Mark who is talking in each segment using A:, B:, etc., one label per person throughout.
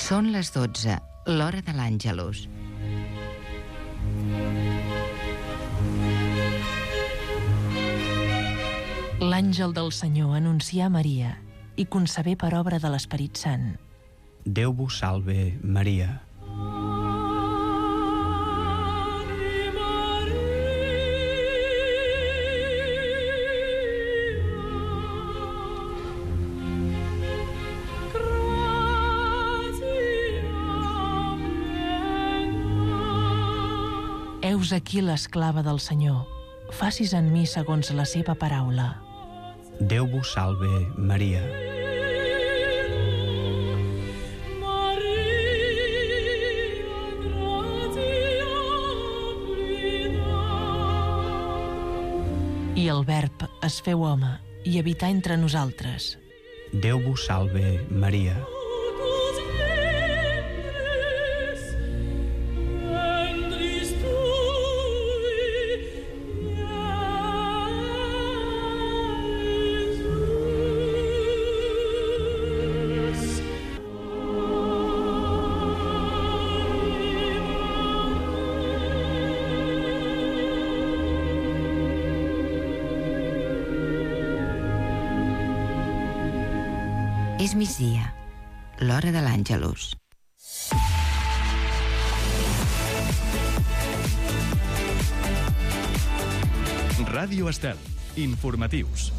A: Són les 12, l'hora de l'Àngelus.
B: L'àngel del Senyor anuncià a Maria i concebé per obra de l'Esperit Sant.
C: Déu vos salve, Maria.
B: Heus aquí l'esclava del Senyor. Facis en mi segons la seva paraula.
C: Déu vos salve, Maria.
B: I el Verb es feu home i habità entre nosaltres.
C: Déu vos salve, Maria.
A: És migdia, l'hora de l'Àngelus.
D: Ràdio Estel, informatius.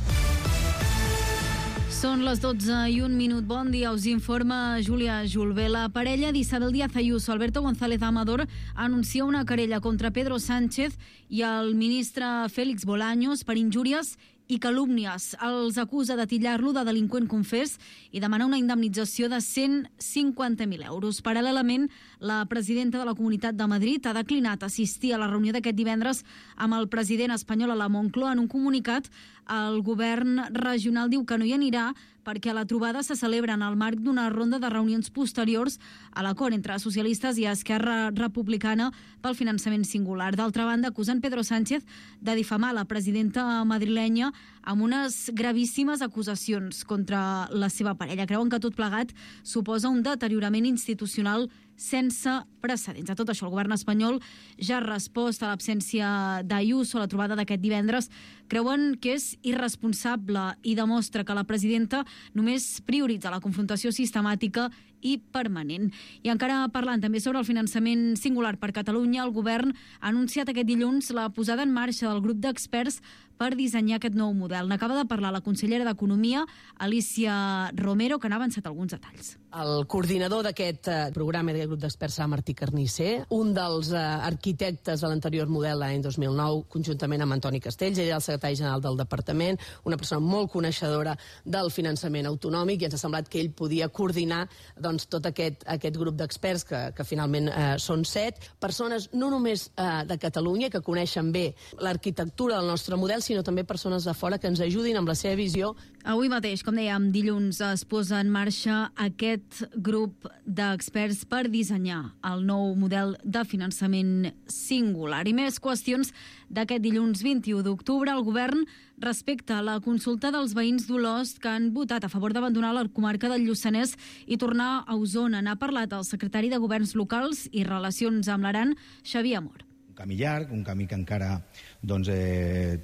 E: Són les 12:01. Bon dia, us informa Júlia Julve. La parella d'Isabel Díaz Ayuso, Alberto González Amador, anuncia una querella contra Pedro Sánchez i el ministre Félix Bolaños per injúries i calúmnies. Els acusa de titllar-lo de delinqüent confés i demanar una indemnització de 150.000 euros. Paral·lelament, la presidenta de la Comunitat de Madrid ha declinat assistir a la reunió d'aquest divendres amb el president espanyol a la Moncloa. En un comunicat, el govern regional diu que no hi anirà perquè la trobada se celebra en el marc d'una ronda de reunions posteriors a l'acord entre socialistes i Esquerra Republicana pel finançament singular. D'altra banda, acusen Pedro Sánchez de difamar la presidenta madrilenya amb unes gravíssimes acusacions contra la seva parella. Creuen que tot plegat suposa un deteriorament institucional sense precedents. A tot això, el govern espanyol ja ha respost a l'absència d'Ayuso a la trobada d'aquest divendres. Creuen que és irresponsable i demostra que la presidenta només prioritza la confrontació sistemàtica i permanent. I encara parlant també sobre el finançament singular per Catalunya, el govern ha anunciat aquest dilluns la posada en marxa del grup d'experts per dissenyar aquest nou model. N'acaba de parlar la consellera d'Economia, Alicia Romero, que n'ha avançat alguns detalls.
F: El coordinador d'aquest programa, d'aquest grup d'experts, serà Martí Carnisser, un dels arquitectes de l'anterior model l'any 2009, conjuntament amb Antoni Castells, ell era el secretari general del departament, una persona molt coneixedora del finançament autonòmic, i ens ha semblat que ell podia coordinar tot aquest grup d'experts, que finalment són 7, persones no només de Catalunya, que coneixen bé l'arquitectura del nostre model, sinó també persones de fora que ens ajudin amb la seva visió.
E: Avui mateix, com dèiem, dilluns es posa en marxa aquest grup d'experts per dissenyar el nou model de finançament singular. I més qüestions d'aquest dilluns 21 d'octubre. El govern respecta la consulta dels veïns d'Olost que han votat a favor d'abandonar la comarca del Lluçanès i tornar a Osona. N'ha parlat el secretari de Governs Locals i Relacions amb l'Aran, Xavier Amor.
G: Un camí llarg, un camí que encara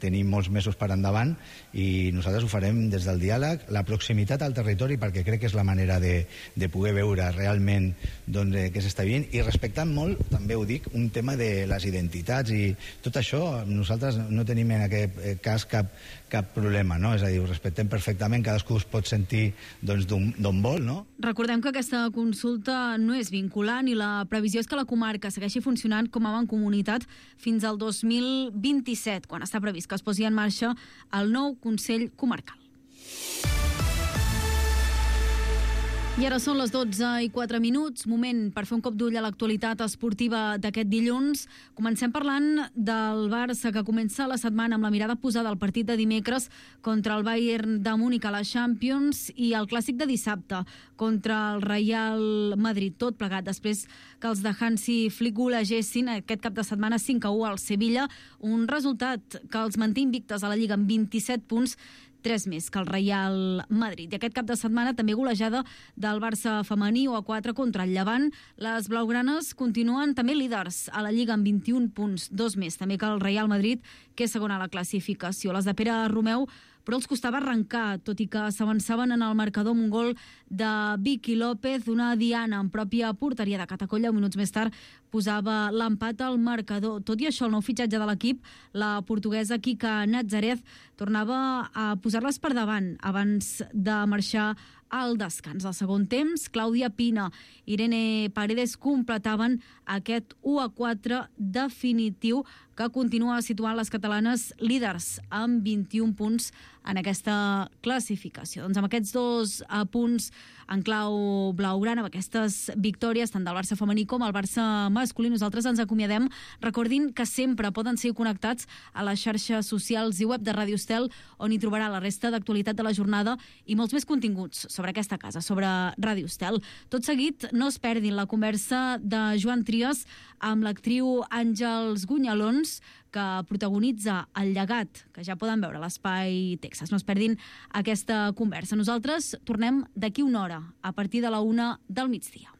G: tenim molts mesos per endavant, i nosaltres ho farem des del diàleg, la proximitat al territori, perquè crec que és la manera de poder veure realment què s'està vivint, i respectant molt, també ho dic, un tema de les identitats i tot això. Nosaltres no tenim en aquest cas cap problema, no? És a dir, ho respectem perfectament, cadascú es pot sentir d'on vol, no?
E: Recordem que aquesta consulta no és vinculant i la previsió és que la comarca segueixi funcionant com a mancomunitat fins al 2027, quan està previst que es posi en marxa el nou Consell Comarcal. I ara són les 12:04, moment per fer un cop d'ull a l'actualitat esportiva d'aquest dilluns. Comencem parlant del Barça, que comença la setmana amb la mirada posada al partit de dimecres contra el Bayern de Múnich a la Champions i el clàssic de dissabte contra el Real Madrid. Tot plegat després que els de Hansi Flick golegessin aquest cap de setmana 5-1 al Sevilla, un resultat que els manté invictes a la Lliga amb 27 punts, 3 més que el Real Madrid. I aquest cap de setmana també golejada del Barça femení 1-4 contra el Llevant. Les blaugranes continuen també líders a la Lliga amb 21 punts, 2 més també que el Real Madrid, que és segona a la classificació. Les de Pere Romeu però els costava arrencar, tot i que s'avançaven en el marcador amb un gol de Vicky López, una diana en pròpia porteria de Catacolla. Minuts més tard posava l'empat al marcador. Tot i això, el nou fitxatge de l'equip, la portuguesa Kika Nazareth, tornava a posar-les per davant abans de marxar al descans. Al segon temps, Clàudia Pina i Irene Paredes completaven aquest 1-4 definitiu que continua situant les catalanes líders amb 21 punts en aquesta classificació. Doncs amb aquests 2 punts en clau blaugrana, amb aquestes victòries tant del Barça femení com el Barça masculí, nosaltres ens acomiadem. Recordin que sempre poden ser connectats a les xarxes socials i web de Ràdio Estel, on hi trobarà la resta d'actualitat de la jornada i molts més continguts sobre aquesta casa, sobre Ràdio Estel. Tot seguit, no es perdin la conversa de Joan Trias amb l'actriu Àngels Gunyalons, que protagonitza El llegat, que ja poden veure a l'Espai Texas. No es perdin aquesta conversa. Nosaltres tornem d'aquí una hora, a partir de la 1 del migdia.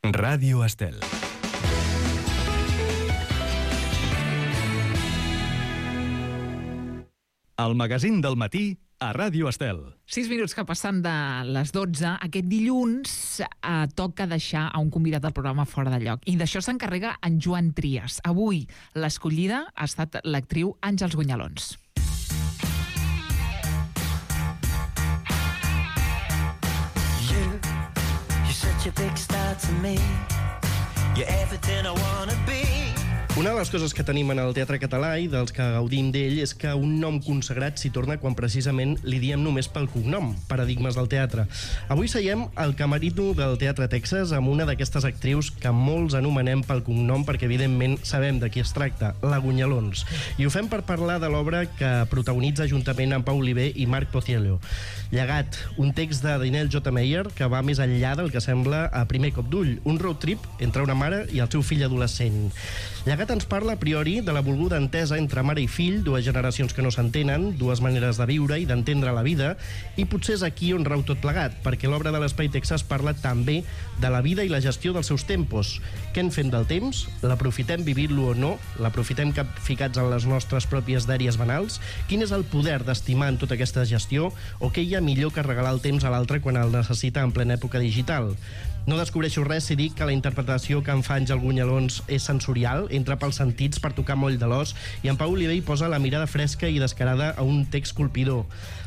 D: Ràdio Estel. El magazín del matí a Ràdio Estel.
H: 6 minuts que passen de les 12. Aquest dilluns toca deixar a un convidat del programa fora de lloc. I d'això s'encarrega en Joan Trias. Avui l'escollida ha estat l'actriu Àngels Gunyalons.
I: You're such a big star to me. You're everything I wanna be.
J: Una de les coses que tenim en el teatre català i dels que gaudim d'ell és que un nom consagrat s'hi torna quan precisament li diem només pel cognom, Paradigmes del teatre. Avui seiem al camerino del Teatre Texas amb una d'aquestes actrius que molts anomenem pel cognom perquè evidentment sabem de qui es tracta, la Gunyalons. I ho fem per parlar de l'obra que protagonitza juntament amb Pau Oliver i Marc Pociello. Llegat, un text de Daniel J. Meyer que va més enllà del que sembla a primer cop d'ull, un road trip entre una mare i el seu fill adolescent. Llegat ens parla a priori de la volguda entesa entre mare i fill, dues generacions que no s'entenen, dues maneres de viure i d'entendre la vida, i potser és aquí on rau tot plegat, perquè l'obra de l'Espai Texas parla també de la vida i la gestió dels seus tempos. Què en fem del temps? L'aprofitem vivint-lo o no? L'aprofitem capficats en les nostres pròpies dèries banals? Quin és el poder d'estimar en tota aquesta gestió? O què hi ha millor que regalar el temps a l'altre quan el necessita en plena època digital? No descobreixo res si dic que la interpretació que en fa Àngels Gunyalons és sensorial, entra pels sentits per tocar moll de l'os, i en Pau Oliver hi posa la mirada fresca i descarada a un text colpidor.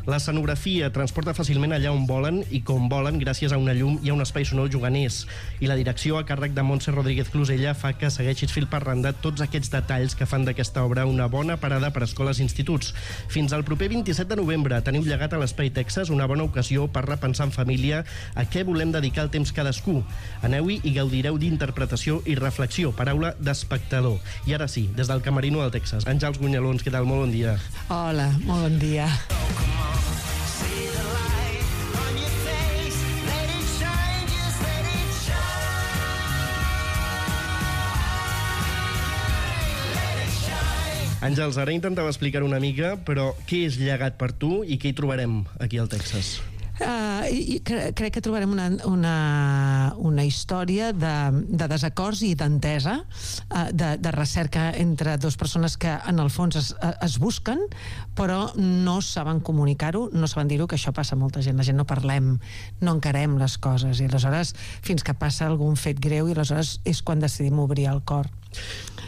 J: L'escenografia transporta fàcilment allà on volen i com volen gràcies a una llum i a un espai sonor juganers. I la direcció a càrrec de Montse Rodríguez Clusella fa que segueixis fil per randa tots aquests detalls que fan d'aquesta obra una bona parada per a escoles i instituts. Fins al proper 27 de novembre teniu Llegat a l'Espai Texas, una bona ocasió per repensar en família a què volem dedicar el temps cadascú. Aneu-hi i gaudireu d'interpretació i reflexió, paraula d'espectador. I ara sí, des del camerino del Texas, Àngels Gunyalons, què tal? Molt bon dia.
F: Hola, molt bon dia.
J: Àngels, ara intentava explicar una mica, però què és Llegat per tu i què hi trobarem aquí al Texas?
F: Crec que trobarem una història de desacords i d'entesa, de recerca entre dues persones que en el fons es busquen, però no saben comunicar-ho, no saben dir-ho, que això passa a molta gent. La gent no parlem, no encarem les coses, i aleshores fins que passa algun fet greu i aleshores és quan decidim obrir el cor.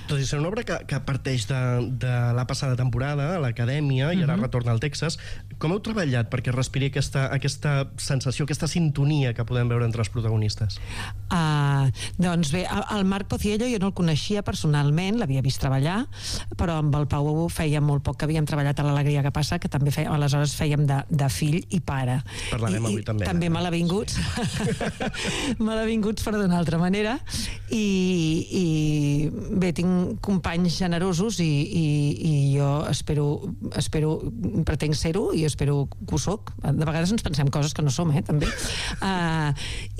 J: Tot i ser una obra que parteix de la passada temporada a l'Acadèmia i ara retorna al Texas, com heu treballat perquè respiri aquesta sensació, aquesta sintonia que podem veure entre els protagonistes?
F: Doncs bé, el Marc Pociello jo no el coneixia personalment, l'havia vist treballar, però amb el Pau feia molt poc que havíem treballat a l'Alegria que passa, que també aleshores fèiem de fill i pare.
J: Parlarem avui també.
F: També malavinguts, malavinguts per d'una altra manera, i bé, tinc companys generosos i jo espero pretenc ser-ho i espero que ho soc. De vegades ens pensem
K: coses que no som, també.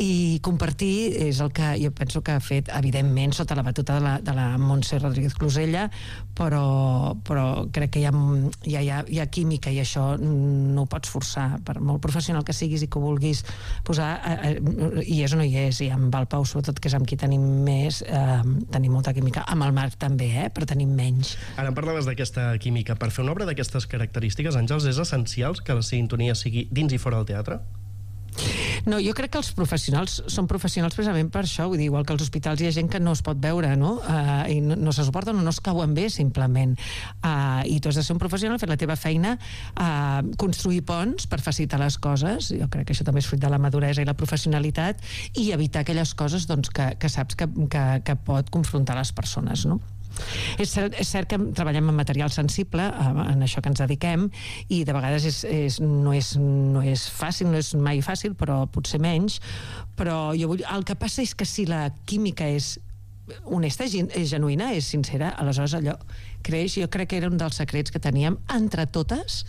K: I compartir és el que jo penso que ha fet, evidentment, sota la batuta de la Montse Rodríguez Closella, però crec que hi ha química i això no ho pots forçar, per molt professional que siguis i que ho vulguis posar, hi és o no hi és, i amb el Pau sobretot, que és amb qui tenim més, tenim molta química, amb el Marc també, però tenim menys.
J: Ara em parlaves d'aquesta química. Per fer una obra d'aquestes característiques, Àngels, és essencial que la sintonia sigui dins i fora del teatre?
K: No, jo crec que els professionals són professionals precisament per això, vull dir, igual que als hospitals hi ha gent que no es pot veure, no? I no se suporten o no es cauen bé, simplement. I tu has de ser un professional, fer la teva feina, construir ponts per facilitar les coses, jo crec que això també és fruit de la maduresa i la professionalitat, i evitar aquelles coses doncs, que saps que pot confrontar les persones, no? És cert que treballem en material sensible, en això que ens dediquem, i de vegades no és fàcil, no és mai fàcil, però potser menys, però el que passa és que si la química és honesta, és genuïna, és sincera, aleshores allò creix. Jo crec que era un dels secrets que teníem entre totes,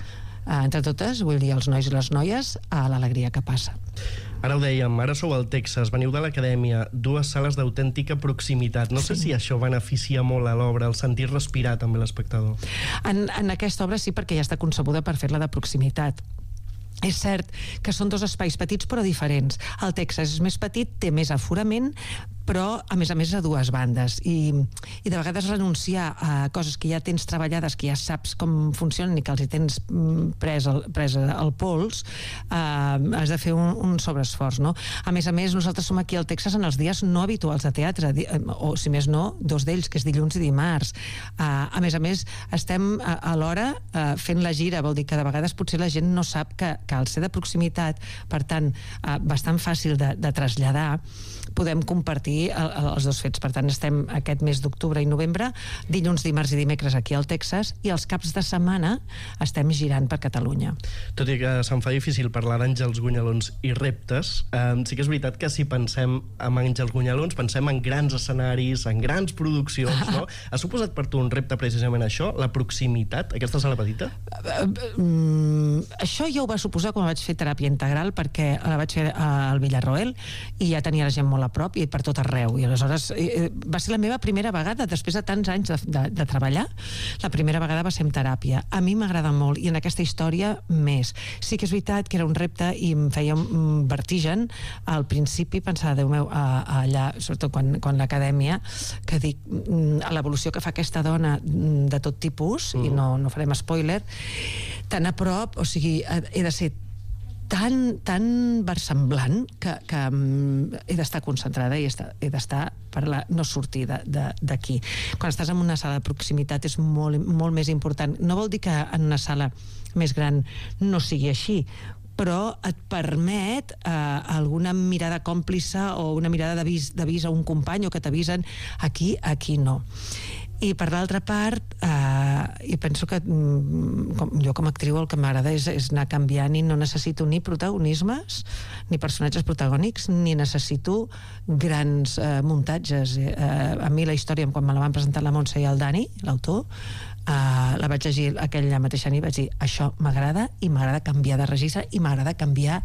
K: vull dir, els nois i les noies, a l'alegria que passa.
J: Ara ho dèiem, ara sou al Texas, veniu de l'acadèmia, 2 sales d'autèntica proximitat. No sé si això beneficia molt a l'obra, el sentir respirar també l'espectador.
K: En aquesta obra sí, perquè ja està concebuda per fer-la de proximitat. És cert que són 2 espais petits però diferents. El Texas és més petit, té més aforament, però a més a 2 bandes, i de vegades renunciar a coses que ja tens treballades, que ja saps com funcionen i que els hi tens pres el pols, has de fer un sobreesforç, no? A més, nosaltres som aquí al Texas en els dies no habituals de teatre, o si més no, 2 d'ells, que és dilluns i dimarts. A més, estem alhora fent la gira, vol dir que de vegades potser la gent no sap que al ser de proximitat, per tant, bastant fàcil de traslladar, podem compartir els 2 fets. Per tant, estem aquest mes d'octubre i novembre, dilluns, dimarts i dimecres aquí al Texas, i els caps de setmana estem girant per Catalunya.
J: Tot i que se'm fa difícil parlar d'Àngels Gunyalons i reptes, sí que és veritat que si pensem en Àngels Gunyalons, pensem en grans escenaris, en grans produccions, no? Ha suposat per tu un repte precisament això, la proximitat, aquesta sala petita?
K: Això ja ho va suposar quan vaig fer teràpia integral, perquè la vaig fer al Villarroel i ja tenia la gent molt a prop i per tot arreu, i aleshores va ser la meva primera vegada, després de tants anys de treballar, la primera vegada va ser en teràpia. A mi m'agrada molt, i en aquesta història més. Sí que és veritat que era un repte i em feia un vertigen al principi, pensar, Déu meu, allà, sobretot quan l'acadèmia, que dic, l'evolució que fa aquesta dona de tot tipus, i no farem spoiler, tan a prop, o sigui, he de ser tan versemblant que he d'estar concentrada i he d'estar per no sortir d'aquí. Quan estàs en una sala de proximitat és molt més important. No vol dir que en una sala més gran no sigui així, però et permet alguna mirada còmplice o una mirada d'avís a un company o que t'avisen aquí no. I per l'altra part, i penso que jo com a actriu el que m'agrada és anar canviant, i no necessito ni protagonismes, ni personatges protagònics, ni necessito grans muntatges. A mi la història, quan me la van presentar la Montse i el Dani, l'autor, la vaig llegir aquella mateixa nit i vaig dir, això m'agrada, i m'agrada canviar de registre i m'agrada canviar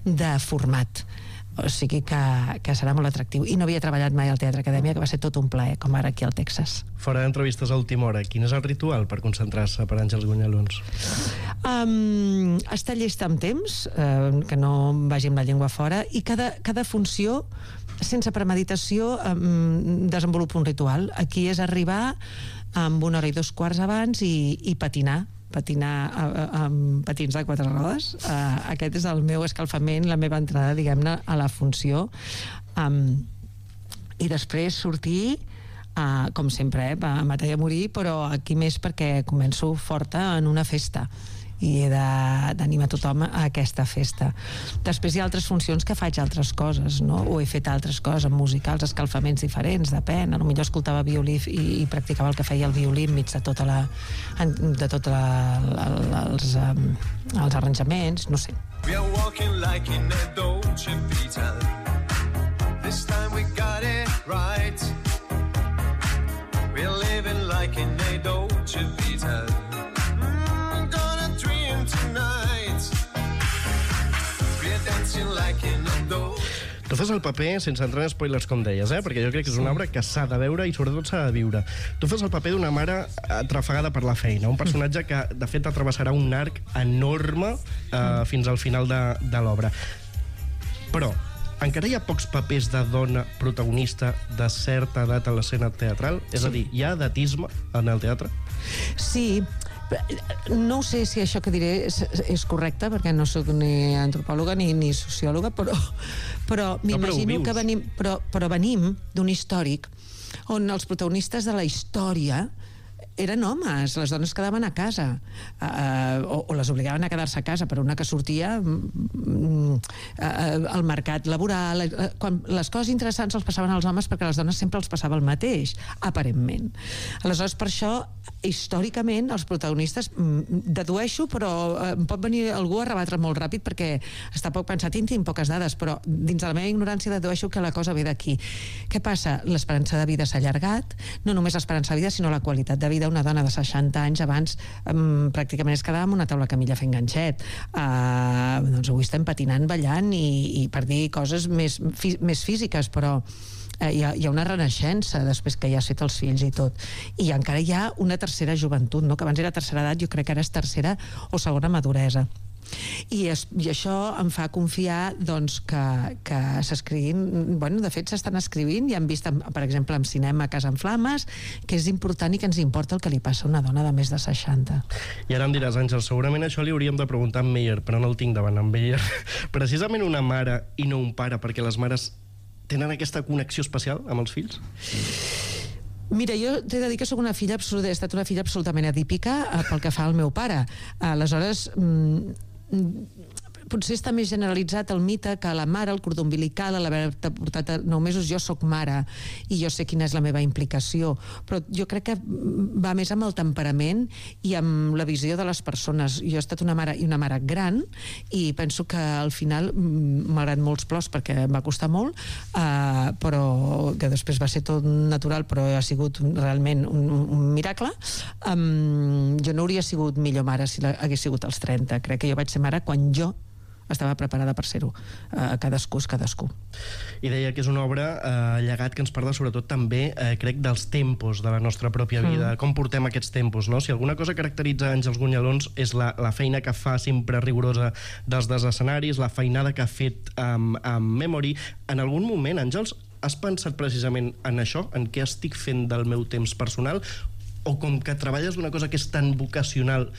K: de format. O sigui que serà molt atractiu. I no havia treballat mai al Teatre Acadèmia, que va ser tot un plaer, com ara aquí al Texas.
J: Fora d'entrevistes a última hora, quin és el ritual per concentrar-se per Àngels Gunyalons?
K: Estar llesta amb temps, que no vagi amb la llengua fora, i cada funció, sense premeditació, desenvolupa un ritual. Aquí és arribar amb 1 hora i 2 quarts abans i patinar amb patins de 4 rodes. Aquest és el meu escalfament, la meva entrada, diguem-ne, a la funció. I després sortir, com sempre, a matar i a morir, però aquí més perquè començo forta en una festa i he d'animar tothom a aquesta festa. Després hi ha altres funcions que faig altres coses, no? O he fet altres coses amb musicals, escalfaments diferents, depèn. Potser escoltava violí i practicava el que feia el violí enmig de tots els arranjaments, no sé. We are walking like in a Dolce Vita. This time we got it right. We're living like in a Dolce Vita. Tonight
J: Tu fas el paper, sense entrar en spoilers, com deies, perquè jo crec que és una obra que s'ha de veure i sobretot s'ha de viure. Tu fas el paper d'una mare atrafegada per la feina, un personatge que, de fet, atravessarà un arc enorme fins al final de l'obra. Però encara hi ha pocs papers de dona protagonista de certa edat a l'escena teatral? És a dir, hi ha edatisme en el teatre?
K: Sí. No sé si això que diré és correcte, perquè no sóc ni antropòloga ni sociòloga, però m'imagino que venim d'un històric on els protagonistes de la història eren homes, les dones quedaven a casa o les obligaven a quedar-se a casa, per una que sortia al mercat laboral. Quan les coses interessants els passaven als homes, perquè a les dones sempre els passava el mateix, aparentment. Aleshores, per això, històricament, els protagonistes, dedueixo, però em pot venir algú a rebatre molt ràpid perquè està poc pensat i tinc poques dades, però dins de la meva ignorància dedueixo que la cosa ve d'aquí. Què passa? L'esperança de vida s'ha allargat, no només l'esperança de vida, sinó la qualitat de vida. Una dona de 60 anys abans pràcticament es quedava amb una taula camilla fent ganxet. Doncs avui estem patinant, ballant i per dir coses més físiques, però hi ha una renaixença després que ja has fet els fills i tot. I encara hi ha una tercera joventut, no? Que abans era tercera edat, jo crec que ara és tercera o segona maduresa. I això em fa confiar doncs, que s'escriguin, de fet s'estan escrivint i hem vist, per exemple, en cinema Casa en Flames, que és important i que ens importa el que li passa a una dona de més de 60.
J: I ara em diràs, Àngel, segurament això li hauríem de preguntar a en Meyer, però no el tinc davant, en Meyer. Precisament una mare i no un pare, perquè les mares tenen aquesta connexió especial amb els fills?
K: Mira, jo t'he de dir que he estat una filla absolutament adípica pel que fa al meu pare. Aleshores, potser està més generalitzat el mite que la mare, el cordó umbilical, l'haver-te portat a 9 mesos, jo sóc mare i jo sé quina és la meva implicació, però jo crec que va més amb el temperament i amb la visió de les persones. Jo he estat una mare i una mare gran i penso que al final, malgrat molts plors perquè em va costar molt, però que després va ser tot natural, però ha sigut realment un miracle, jo no hauria sigut millor mare si hagués sigut als 30. Crec que jo vaig ser mare quan jo estava preparada per ser-ho. Cadascú és cadascú.
J: I deia que és una obra llegat que ens parla sobretot també, crec, dels tempos de la nostra pròpia vida, com portem aquests tempos, no? Si alguna cosa caracteritza Àngels Gunyalons és la feina que fa sempre rigorosa dels escenaris, la feinada que ha fet amb Memory. En algun moment, Àngels, has pensat precisament en això, en què estic fent del meu temps personal, o com que treballes d'una cosa que és tan vocacional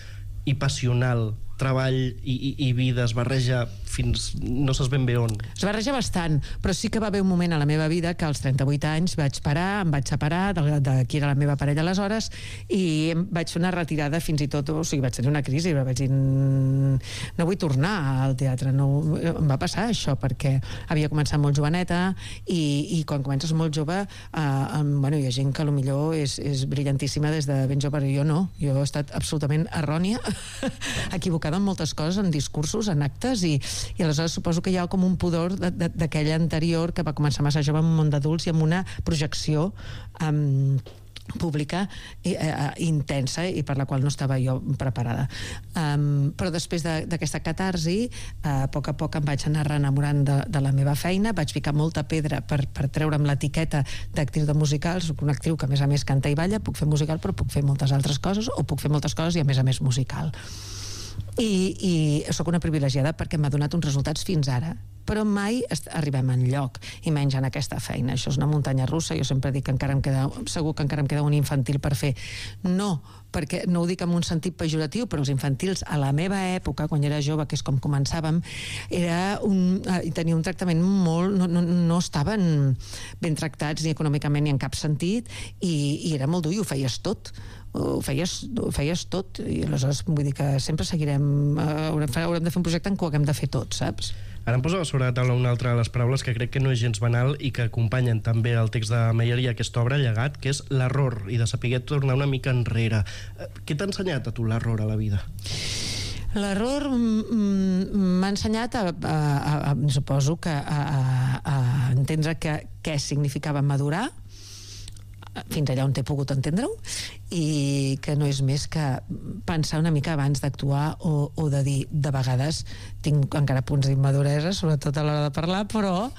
J: i passional, treball i vida es barreja fins no saps ben bé on?
K: Es barreja bastant, però sí que va haver un moment a la meva vida que als 38 anys vaig parar, em vaig separar de qui era la meva parella aleshores i vaig fer una retirada fins i tot, o sigui, vaig tenir una crisi, vaig dir no vull tornar al teatre, em va passar això perquè havia començat molt joveneta i quan comences molt jove hi ha gent que potser és brillantíssima des de ben jove, però jo no, jo he estat absolutament errònia, equivocada en moltes coses, en discursos, en actes i aleshores suposo que hi ha com un pudor d'aquella anterior que va començar massa jove en un món d'adults i amb una projecció pública intensa i per la qual no estava jo preparada. Però després d'aquesta catarsi, a poc em vaig anar reenamorant de la meva feina, vaig ficar molta pedra per treure'm l'etiqueta d'actriu de musical. Soc una actriu que a més canta i balla, puc fer musical però puc fer moltes altres coses o puc fer moltes coses i a més musical. I sóc una privilegiada perquè m'ha donat uns resultats fins ara, però mai arribem enlloc, i menys en aquesta feina. Això és una muntanya russa, jo sempre dic que segur que encara em queda un infantil per fer. No, perquè no ho dic en un sentit pejoratiu, però els infantils a la meva època, quan era jove, que és com començàvem, tenia un tractament molt... no estaven ben tractats ni econòmicament ni en cap sentit, i era molt dur i ho feies tot. Ho feies tot, i aleshores vull dir que sempre seguirem, haurem de fer un projecte en què ho haguem de fer tot, saps?
J: Ara em posava sobre la taula una altra de les paraules que crec que no és gens banal i que acompanyen també el text de Meyer i aquesta obra, Llegat, que és l'error i de saber tornar una mica enrere. Què t'ha ensenyat a tu l'error a la vida?
K: L'error m'ha ensenyat suposo que a entendre què significava madurar, fins allà on t'he pogut entendre-ho, i que no és més que pensar una mica abans d'actuar o de dir, de vegades tinc encara punts d'immaduresa, sobretot a l'hora de parlar, però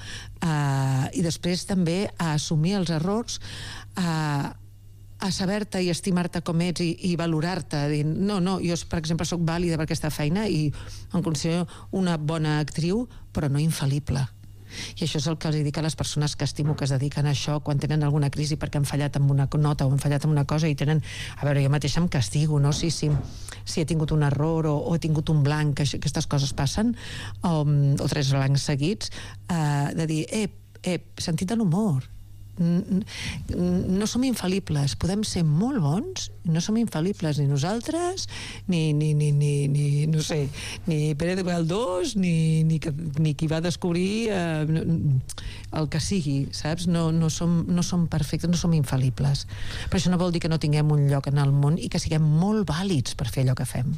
K: i després també a assumir els errors, a saber-te i estimar-te com ets i valorar-te, dir, no, jo per exemple soc vàlida per aquesta feina i em considero una bona actriu, però no infal·lible. I això és el que els dic a les persones que estimo que es dediquen a això quan tenen alguna crisi perquè han fallat amb una nota o han fallat amb una cosa i tenen... A veure, jo mateixa em castigo, no? Si he tingut un error o he tingut un blanc, que aquestes coses passen, o 3 blancs seguits, de dir, sentit de l'humor. No som infal·libles, podem ser molt bons, no som infal·libles ni nosaltres, ni no sé, ni Pérez de Galdós, ni qui va descobrir el que sigui, saps? No som perfectes, no som infal·libles. Però això no vol dir que no tinguem un lloc en el món i que siguem molt vàlids per fer allò que fem.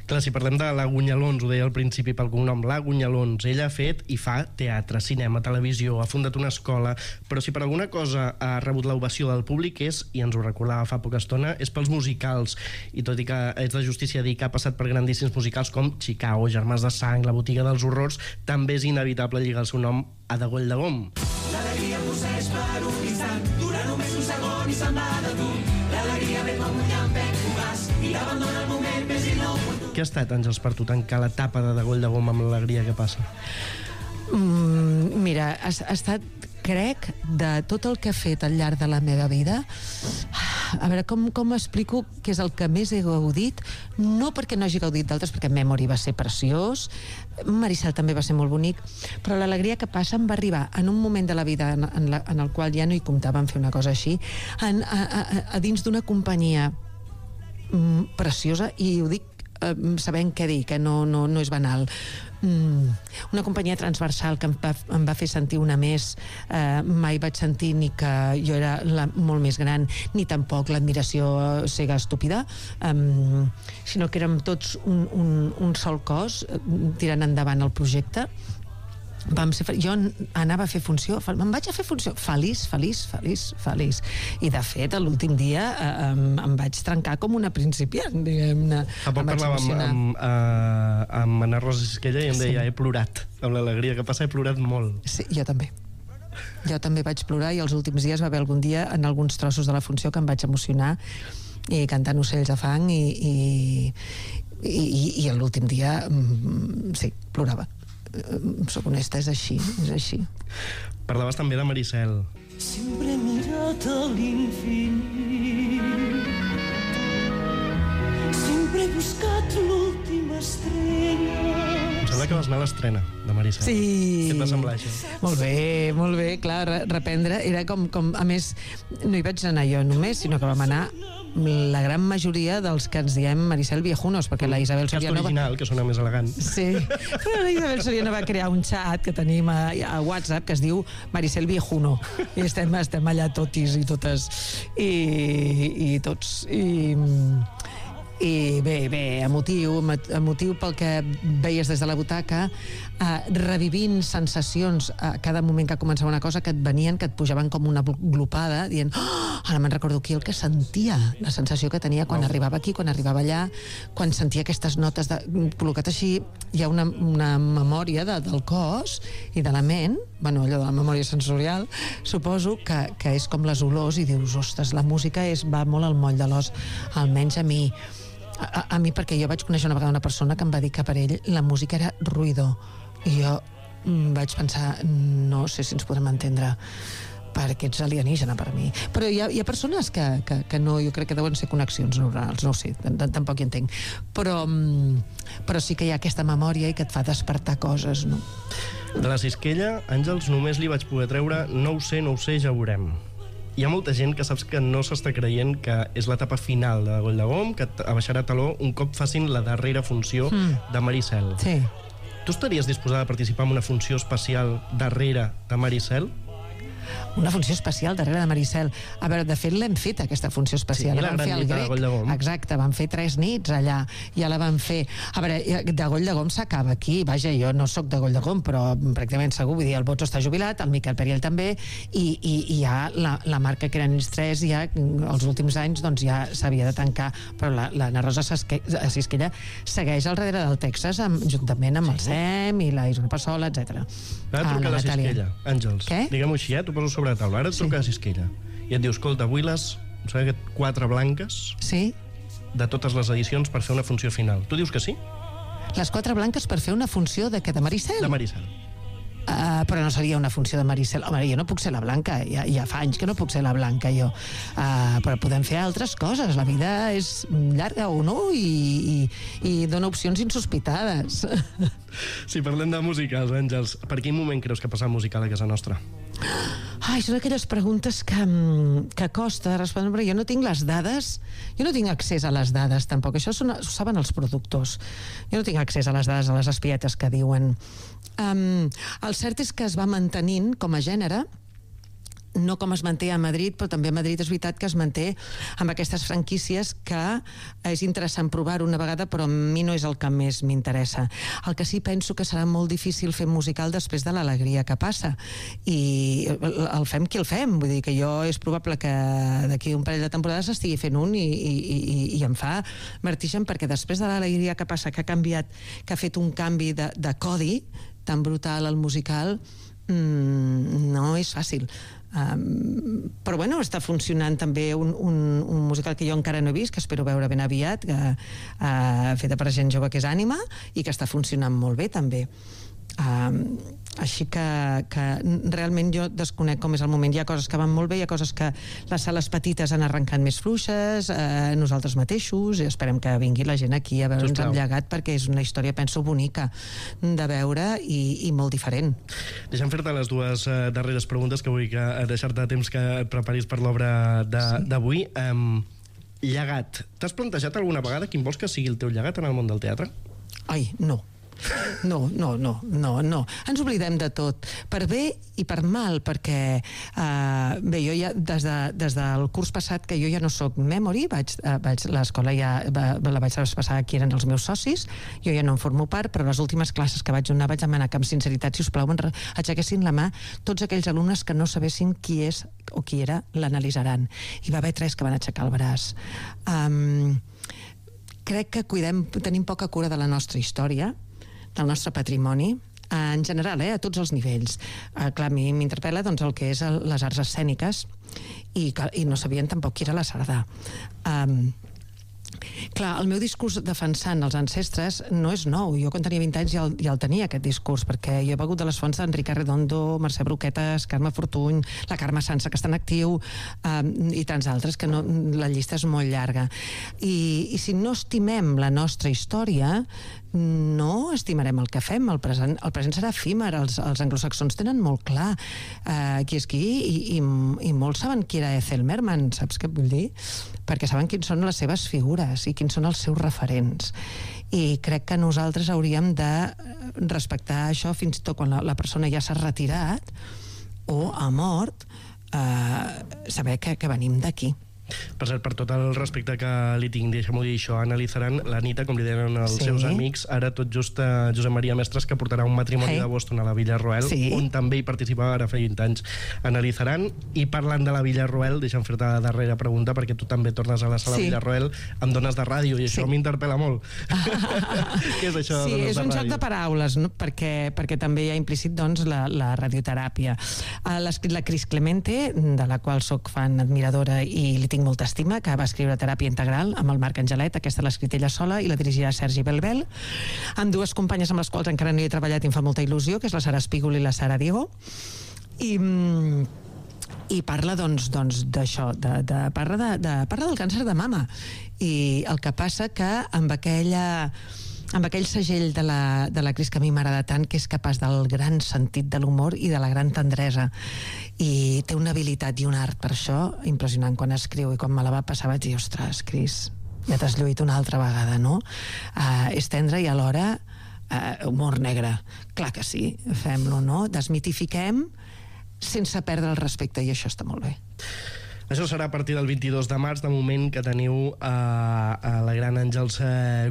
J: Clar, si parlem de la Gunyalons, ho deia al principi pel cognom, la Gunyalons, ella ha fet i fa teatre, cinema, televisió, ha fundat una escola, però si per alguna cosa ha rebut l'ovació del públic és, i ens ho recordava fa poca estona, és pels musicals, i tot i que és de justícia dir que ha passat per grandíssims musicals com Chicago, Germans de Sang, La botiga dels horrors, també és inevitable lligar el seu nom a De Goll de Gom.
I: L'alegria posseix per un instant, dura només un segon i se'n va de tu. L'alegria ve com un llampec fugaç i t'abandona el moment més inoportú.
J: Què ha estat, Àngels, per tu tancar l'etapa de Goll de Gom amb l'alegria que passa?
K: Mira, ha estat, crec, de tot el que he fet al llarg de la meva vida, a veure, com explico què és el que més he gaudit, no perquè no hagi gaudit d'altres, perquè Memory va ser preciós, Maricel també va ser molt bonic, però l'alegria que passa em va arribar en un moment de la vida en el qual ja no hi comptava en fer una cosa així, a dins d'una companyia preciosa, i ho dic sabent què dir, que no és banal. Una companyia transversal que em va fer sentir una més, mai vaig sentir ni que jo era molt més gran, ni tampoc l'admiració cega estúpida, sinó que érem tots un sol cos tirant endavant el projecte. Jo anava a fer funció, me'n vaig a fer funció feliç, i de fet l'últim dia em vaig trencar com una principiant, diguem-ne.
J: Fa poc parlàvem amb Ana Rosa Sisquella i em deia, he plorat, amb l'alegria que passa he plorat molt.
K: Sí, jo també vaig plorar, i els últims dies va haver algun dia en alguns trossos de la funció que em vaig emocionar i cantant Ocells de fang i l'últim dia sí, plorava. Soc honesta, és així.
J: Parlaves també de Maricel.
I: Sempre he mirat a l'infinit, sempre he buscat l'última estrella.
J: Em sembla que vas anar a l'estrena de Maricel.
K: Sí.
J: Què et va semblar, això?
K: Molt bé, clar, reprendre. Era com, a més, no hi vaig anar jo només, sinó que vam anar la gran majoria dels que ens diem Maricel Viejunos, perquè la Isabel Soriano...
J: Cast original, que sona més elegant.
K: Sí, però la Isabel Soriano va crear un xat que tenim a WhatsApp que es diu Maricel Viejuno, i estem allà totis i totes i tots i bé, emotiu pel que veies des de la butaca, revivint sensacions a cada moment que començava una cosa, que et venien, que et pujaven com una glopada, dient, ara me'n recordo aquí el que sentia, la sensació que tenia quan arribava aquí, quan arribava allà, quan sentia aquestes notes col·locat així. Hi ha una memòria del cos i de la ment, allò de la memòria sensorial, suposo que és com les olors, i dius, ostres, la música va molt al moll de l'os, almenys a mi. A mi, perquè jo vaig conèixer una vegada una persona que em va dir que per ell la música era ruïdor, i jo vaig pensar, no sé si ens podrem entendre, perquè ets alienígena per mi. Però hi ha persones que no, jo crec que deuen ser connexions neurals, no ho sé, tampoc hi entenc, però sí que hi ha aquesta memòria i que et fa despertar coses, no?
J: De la Sisquella, Àngels, només li vaig poder treure no ho sé, ja ho veurem. Hi ha molta gent que saps que no s'està creient que és l'etapa final de Goll de Gom, que abaixarà taló un cop facin la darrera funció de Maricel.
K: Sí.
J: Tu estaries disposada a participar en una funció especial darrere de Maricel?
K: una funció especial darrere de Maricel. A veure, de fet l'hem fet, aquesta funció especial.
J: Sí, la gran nit de Goll de Gom.
K: Exacte, vam fer 3 nits allà, ja la vam fer. A veure, de Goll de Gom s'acaba aquí, vaja, jo no sóc de Goll de Gom, però pràcticament segur, vull dir, el Botso està jubilat, el Miquel Periel també, i ja la marca que eren ells 3, ja els últims anys doncs ja s'havia de tancar, però l'Anna Rosa Sisquella segueix al darrere del Texas, juntament amb el Sem i la Isona Passola, etc.
J: Ara truca la Sisquella, Àngels.
K: Què?
J: Diguem-ho així, t'ho poso sobre la taula. Ara et truca la Sisquella i et diu, escolta, vull les 4 blanques de totes les edicions per fer una funció final. Tu dius que sí?
K: Les 4 blanques per fer una funció de què? De Maricel?
J: De Maricel.
K: Però no seria una funció de Maricel. Home, jo no puc ser la blanca, ja fa anys que no puc ser la blanca, jo. Però podem fer altres coses. La vida és llarga o no i dona opcions insospitades.
J: Si parlem de musicals, Àngels, per quin moment creus que passa el musical a casa nostra?
K: Són aquelles preguntes que costa respondre, però jo no tinc les dades, jo no tinc accés a les dades tampoc, això ho saben els productors, jo no tinc accés a les dades, a les espietes que diuen. El cert és que es va mantenint com a gènere, no com es manté a Madrid, però també a Madrid és veritat que es manté amb aquestes franquícies que és interessant provar una vegada, però a mi no és el que més m'interessa. El que sí penso que serà molt difícil fer musical després de l'alegria que passa, i el fem qui el fem, vull dir que jo és probable que d'aquí un parell de temporades estigui fent un i em fa vertigen, perquè després de l'alegria que passa, que ha canviat, que ha fet un canvi de codi tan brutal al musical, no és fàcil. Però bueno, està funcionant també un musical que jo encara no he vist, que espero veure ben aviat, feta per gent jove, que és Ànima, i que està funcionant molt bé també. Així que realment jo desconec com és el moment. Hi ha coses que van molt bé, hi ha coses que les sales petites han arrencat més fluixes, nosaltres mateixos, i esperem que vingui la gent aquí a veure'ns amb llegat, perquè és una història, penso, bonica de veure i molt diferent.
J: Deixa'm fer-te les 2 darreres preguntes, que vull deixar-te temps que et preparis per l'obra d'avui. Llegat. T'has plantejat alguna vegada quin vols que sigui el teu llegat en el món del teatre?
K: Ai, no. No. Ens oblidem de tot, per bé i per mal, perquè bé, jo ja des del curs passat, que jo ja no soc memory, l'escola ja la vaig traspassar a qui eren els meus socis, jo ja no en formo part, però les últimes classes que vaig donar vaig demanar que amb sinceritat, si us plau, aixequessin la mà tots aquells alumnes que no sabessin qui és o qui era l'analitzaran, i va haver 3 que van aixecar el braç. Crec que tenim poca cura de la nostra història, del nostre patrimoni, en general, a tots els nivells. Clar, a mi m'interpel·la doncs, el que és les arts escèniques, i no sabien tampoc qui era la Sardà. Clar, el meu discurs defensant els ancestres no és nou. Jo quan tenia 20 anys ja el tenia, aquest discurs, perquè jo he begut de les fonts d'Enric Arredondo, Mercè Broquetes, Carme Fortuny, la Carme Sansa, que està en actiu, i tants altres, que la llista és molt llarga. I si no estimem la nostra història, no estimarem el que fem. El present serà efímer. Els anglosaxons tenen molt clar qui és qui, i molts saben qui era Ethel Merman, saps què vull dir? Perquè saben quins són les seves figures i quins són els seus referents, i crec que nosaltres hauríem de respectar això fins i tot quan la persona ja s'ha retirat o ha mort, saber que venim d'aquí.
J: Per cert, per tot el respecte que li tinc, deixa'm-ho dir això, analitzaran l'Anita, com li deien els seus amics, ara tot just Josep Maria Mestres, que portarà un matrimoni de Boston a la Villarroel, on també hi participava ara fa 20 anys. Analitzaran, i parlant de la Villarroel, deixa'm fer-te la darrera pregunta, perquè tu també tornes a la sala Villarroel amb dones de ràdio, i això m'interpel·la molt. Què és això de dones de ràdio?
K: Sí, és un joc de paraules, no? perquè també hi ha implícit doncs, la radioteràpia. L'ha escrit la Cris Clemente, de la qual soc fan admiradora i li tinc molta estima, que va escriure Teràpia Integral amb el Marc Angelet. Aquesta l'ha escrit ella sola i la dirigirà Sergi Belbel, amb 2 companyes amb les quals encara no hi he treballat i em fa molta il·lusió, que és la Sara Espígol i la Sara Diego, i parla doncs d'això, parla del càncer de mama, i el que passa que amb aquell segell de la Cris que a mi m'agrada tant, que és capaç del gran sentit de l'humor i de la gran tendresa, i té una habilitat i un art per això impressionant quan escriu, i quan me la va passar vaig dir, ostres, Cris, ja t'has lluït una altra vegada, no? És tendre i alhora humor negre. Clar que sí, fem-lo, no? Desmitifiquem sense perdre el respecte, i això està molt bé.
J: Això serà a partir del 22 de març, de moment que teniu a la Gran Àngels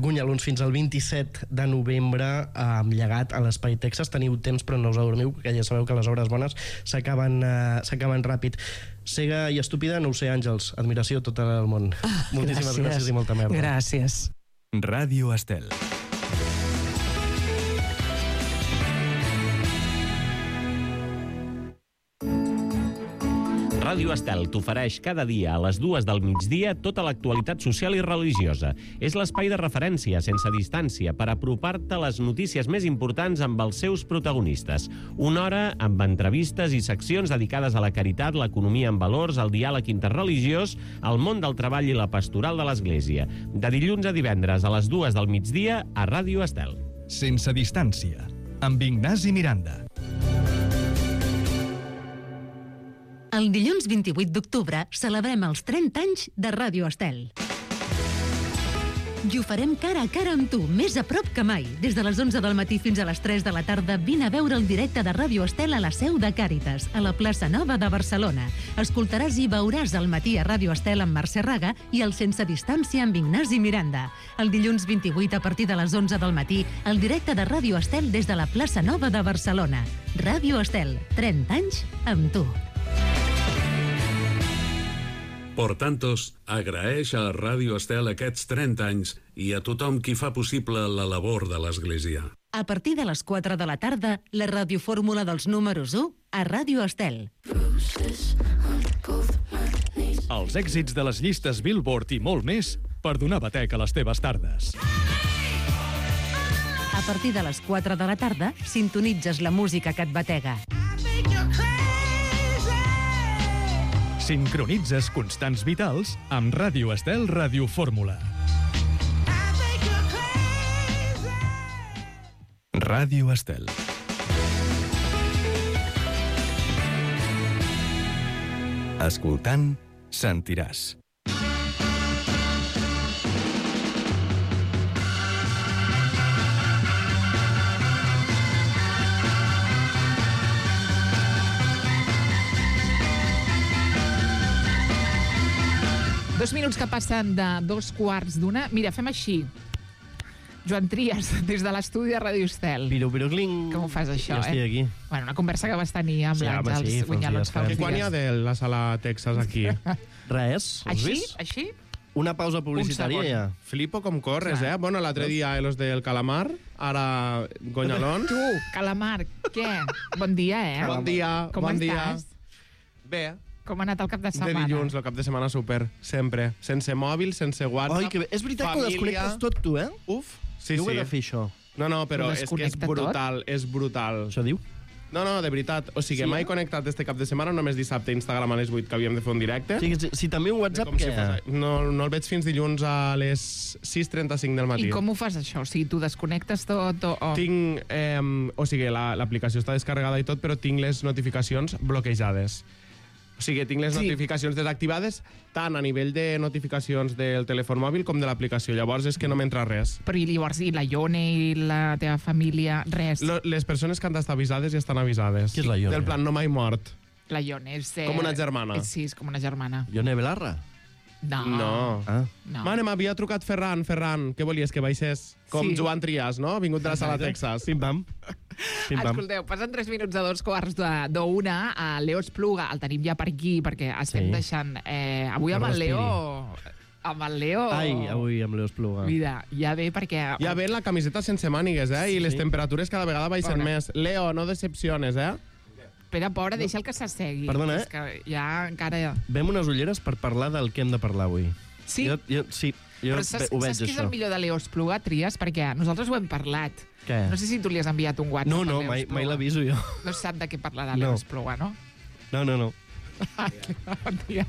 J: Gunyalons fins al 27 de novembre amb llegat a l'Espai Texas. Teniu temps, però no us adormiu, perquè ja sabeu que les obres bones s'acaben ràpid. Cega i estúpida, no ho sé, Àngels. Admiració a tot el món. Moltíssimes gràcies i molta merda.
K: Gràcies.
D: Ràdio Estel.
L: Ràdio Estel t'ofereix cada dia a les 2 del migdia tota l'actualitat social i religiosa. És l'espai de referència, sense distància, per apropar-te a les notícies més importants amb els seus protagonistes. Una hora amb entrevistes i seccions dedicades a la caritat, l'economia en valors, el diàleg interreligiós, el món del treball i la pastoral de l'Església. De dilluns a divendres a les 2 del migdia a Ràdio Estel.
D: Sense distància, amb Ignasi Miranda.
M: El dilluns 28 d'octubre celebrem els 30 anys de Ràdio Estel. I ho farem cara a cara amb tu, més a prop que mai. Des de les 11 del matí fins a les 3 de la tarda, vine a veure el directe de Ràdio Estel a la seu de Càritas, a la plaça Nova de Barcelona. Escoltaràs i veuràs el matí a Ràdio Estel amb Mercè Raga i el Sense Distància amb Ignasi Miranda. El dilluns 28, a partir de les 11 del matí, el directe de Ràdio Estel des de la plaça Nova de Barcelona. Ràdio Estel, 30 anys amb tu.
N: Por Tantos agraeix a Ràdio Estel aquests 30 anys i a tothom qui fa possible la labor de l'Església.
M: A partir de les 4 de la tarda, la radiofórmula dels números 1 a Ràdio Estel.
D: Els èxits de les llistes Billboard i molt més per donar batec a les teves tardes.
M: A partir de les 4 de la tarda, sintonitzes la música que et batega.
D: Sincronitzes constants vitals amb Ràdio Estel Radiofórmula. Ràdio Estel. Escoltant, sentiràs.
H: Dos minuts que passen de 2:15. Mira, fem així. Joan Trias, des de l'estudi de Ràdio Estel.
J: Pirocling.
H: Com ho fas, això,
J: Jo estic aquí.
H: Bueno, una conversa que vas tenir amb l'Àngels Gunyalons fa uns dies.
O: Quan hi ha de la sala Texas aquí?
J: Res, has
H: Així?
J: vist?
H: Així?
J: Una pausa publicitària ja.
O: Flipo com corres, eh? Bueno, l'altre dia los del Calamar, ara Guanyalons.
H: Tu, Calamar, què? Bon dia, eh?
O: Bon dia,
H: Com
O: bon dia.
H: estàs?
O: Bé.
H: Com ha anat el cap de
O: De
H: setmana?
O: dilluns, el cap de setmana super, sempre. Sense mòbil, sense WhatsApp.
J: Oi, que bé. És veritat que ho desconnectes tot, tu, eh?
O: Uf, sí,
J: Jo ho he
O: sí.
J: de fer, això.
O: No, però
H: Ho
O: és que és
H: desconnecta tot?
O: brutal, és brutal.
J: Això diu?
O: No, de veritat. O sigui,
J: Sí,
O: m'he
J: eh?
O: connectat este cap de setmana, només dissabte a Instagram a les 8 que havíem de fer un directe.
J: O sigui, si també un WhatsApp,
O: Com si
J: què?
O: no el veig fins dilluns a les 6:35 del matí.
H: I com ho fas, això? O sigui, tu desconnectes tot o...
O: Tinc, o sigui, l'aplicació està descarregada i tot, però tinc les notificacions bloquejades. O sigui, tinc les notificacions desactivades tant a nivell de notificacions del telèfon mòbil com de l'aplicació. Llavors és que no m'entra res.
H: Però i llavors, i la Ione i la teva família, res?
O: Les persones que han d'estar avisades ja estan avisades.
J: Qui és la Ione?
O: Del plan, no m'he mort.
H: La Ione és...
O: Com una germana.
H: Sí, és com una germana.
J: Ione Belarra?
O: No.
J: Ah.
H: No.
O: Mare, m'havia trucat Ferran. Què volies, que baixés? Com
H: Sí.
O: Joan Trias, no? Vingut de la sala Texas.
J: Pim-pam.
H: Escolteu, passen 3 minuts de 2:15 a Leo Espluga. El tenim ja per aquí, perquè estem deixant... avui amb el Leo... Amb el Leo...
J: Ai, avui amb Leo Espluga.
H: Mira, ja ve perquè...
O: Ja ve la camiseta sense mànigues, eh? I les
J: Sí.
O: temperatures cada vegada baixen
H: Bona.
O: més. Leo, no decepciones, eh?
H: Espera, pobra, deixa el que s'assegui.
J: Perdona,
H: És que ja encara...
J: Vem unes ulleres per parlar del que hem de parlar avui.
H: Sí?
J: Sí, jo
H: Però saps,
J: ho veig,
H: saps què és
J: això.
H: el millor de Leo Espluga, Trias? Perquè nosaltres ho hem parlat.
J: Què?
H: No sé si tu li has enviat un WhatsApp
J: No,
H: a Leo
J: mai
H: Espluga.
J: l'aviso jo.
H: No sap de què parlar de Leo
J: No.
H: Espluga, no?
J: No.
H: Tia.